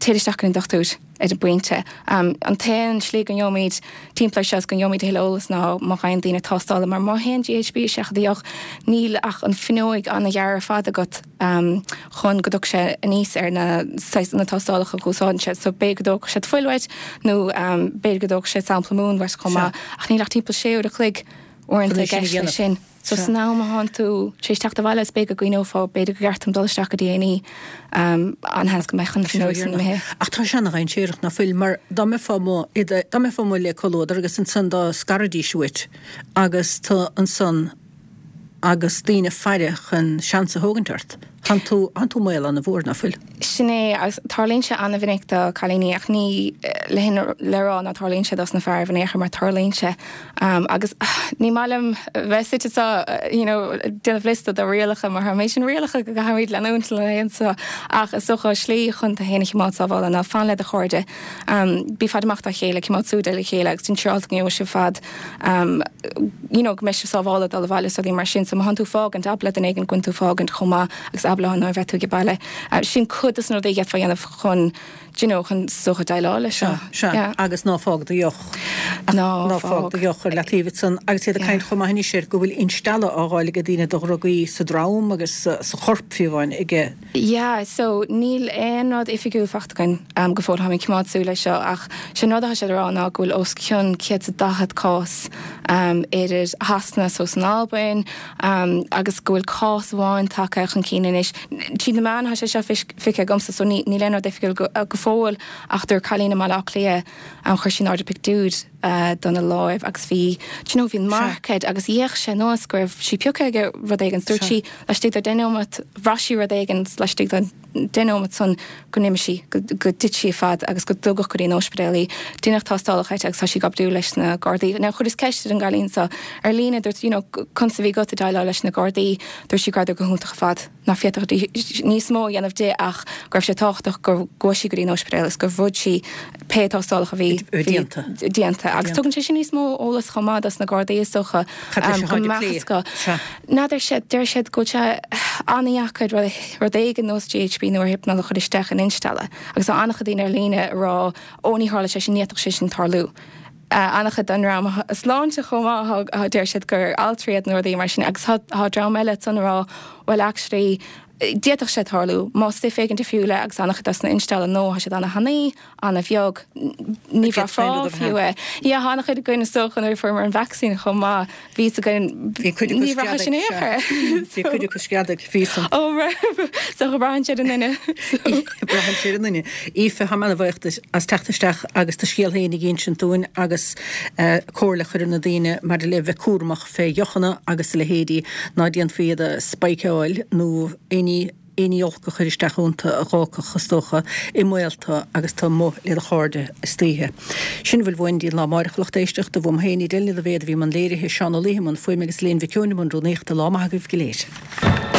téir isteach go dtí an dochtúir ar an bpointe. An t-aon slí go ngeobhaimid timpeall air seo is go ngeobhaimid a thuilleadh eolas ná má ghabhann daoine tástála mar má théann GHB isteach i do dheoch níl ach an fuinneoig an-ghearr ar fad agat chun go dtiocfaidh sé aníos ar na saghas na tástálacha a úsáideann siad so b'fhéidir go dtógfadh siad fuil uait nó b'fhéidir go dtógfadh siad sampla múin uait chomh maith ach níl ach timpeall sé uair a chloig uaireanta i gceist leis sin. So san am a thánn tú tar éis teacht abhaile is b'fhéidir go gcuimhneofá b'fhéidir gur cheart dom dul isteach go dtí A&E an-sheans go mbeadh an fuinneoig san imithe. Ach tá sé ana-dhainséarach ná fuil mar dá mbeifeá amuigh dá mbeifeá amuigh le comhluadar agus ansan dá scarfaidís uait agus tú ansan agus daoine ag faire chun seans a thógaint ort, thánn tú thánn tú i mbaol ana-mhór ná fuil? Sin é, agus tarlaíonn sé ana-mhinic do cailíní ach ní le hin le rá ná tarlaíonn sé dos na fearaibh in aon chor mar tarlaíonn sé. Agus ní maith liom bheith suite anseo you know déanamh liosta de rialacha mar tá an méid sin rialacha go gcaithfimid leanúint na laethanta seo ach is dócha slí chun tú féin a chimeád sábháilte ná fan le do chairde. Bí ag faire amach dá chéile, cimeád súil ar a chéile agus déan siúráilte go ngeobhaidh sibh fad you know go mbeidh sibh sábháilte ag dul abhaile is rudaí mar sin. So má thánn tú ag fágaint, abair le duine éigin go bhfuil tú ag fágaint chomh maith agus abair leo nuair a bheidh tú ag baile. Sin cuid dos na rudaí a d'fhéadfá a dhéanamh chun do you know, chun is dócha déileáil leis seo. Sea, sea, agus ná fág do dheoch. Ná Ná fág do dheoch ar leataobh ansan. Agus iad ag caint chomh maith anois ar go bhfuil instealladh á dh'fháil ag daoine do dhrugaí sa drom agus sa chorp fiú amháin ag. Yeah, so níl aon rud oifigiúil fachta againn go fóill, táimid ag coimeád súil air seo ach sé an rud atá siad a rá ná go bhfuil os cionn 140 cás idir Shasana so san Albain agus go bhfuil cás amháin tagtha chun cinn anois. Tríd na meáin atá sé seo feicthe agamsa so níl aon rud oifigiúil go fóill ach dúirt cailín i mBaile Átha Cliath chuir sí in airde pictiúr dona láimh agus bhí do you know bhí an marc air agus d'fhéach sé nós go raibh sí pioctha ag rud éigin. Dúirt sí laistigh de deich nóiméad bhraith sí rud éigin laistigh den deich nóiméad san go n-imigh sí, go dtit sí ar fad agus go dtugadh go dtí an ospidéal í. Deineadh tástálacha uirthi agus tá sí ag oibriú leis na Gardaí. Now chuireas ceist ar an gcailín seo ar líne, dúirt you know conas a bhí agat ag déileáil leis na Gardaí, dúirt sí go rabhadar go hiontach ar fad. ná féadfadh níos mó a dhéanamh di ach go raibh sé tábhachtach go gcuaigh sí go dtí an ospidéal agus gur bhfuair sí pé tástálacha a bhí déanta. déanta. Agus tugann sé sin níos mó eolas chomh maith dos na Gardaí is dócha go mbeadh go. N'fheadar siad, deir siad go bhfuil sé an-dheacair rud éigin nós GHB nó Rohypnol a chur isteach in instealladh agus tá an-chuid daoine ar líne ag rá ó ní tharla sé sin, ní fhéadfadh sé sin tarlú. An-chuid den dream sláinte chomh maith, deir siad gur altraí iad nó rudaí mar sin agus tá dream eile ansan ag rá well actually d'fhéadfadh sé tarlú más stuif éigin difriúil é agus an-chuid dos na instealladh nua tá siad an-thanaí, an-bheag, ní bhraithfeá fiú é. Yeah, tá an-chuid againn is dócha nuair a fuaireamar an vacsaín chomh maith, bhí 'fhios againn, Bhí cuid acu ní bhraithfeá sin screadaigh, aon chor. Bhí cuid acu screadaigh, bhí san. Ó raibh, so braitheann sé ar an nduine. Braitheann sé ar an nduine. Aoife, táim ana-bhuíoch duit as teacht isteach agus do scéal féin a dh'insint dúinn agus comhairle a chur ar na daoine maidir le bheith cúramach fé dheochanna agus a leithéidí, ná déanfaí iad a spikeáil nó éinní. Aon ní olc a chur isteach iontu a dh'fhágfadh, is dócha, i mbaol tu agus tu amuigh le do chairde istoíche. Sin a bhfuil uainn go dtí an lá amáireach, a lucht éisteachta. Uaim féin, Edel Ní Loibhéad a bhí i mbun léirithe, Seán Ó Laoithe i mbun fuaime agus Elaine Mhic Eoin i mbun rúnaíochta. Lá maith agaibh go léir.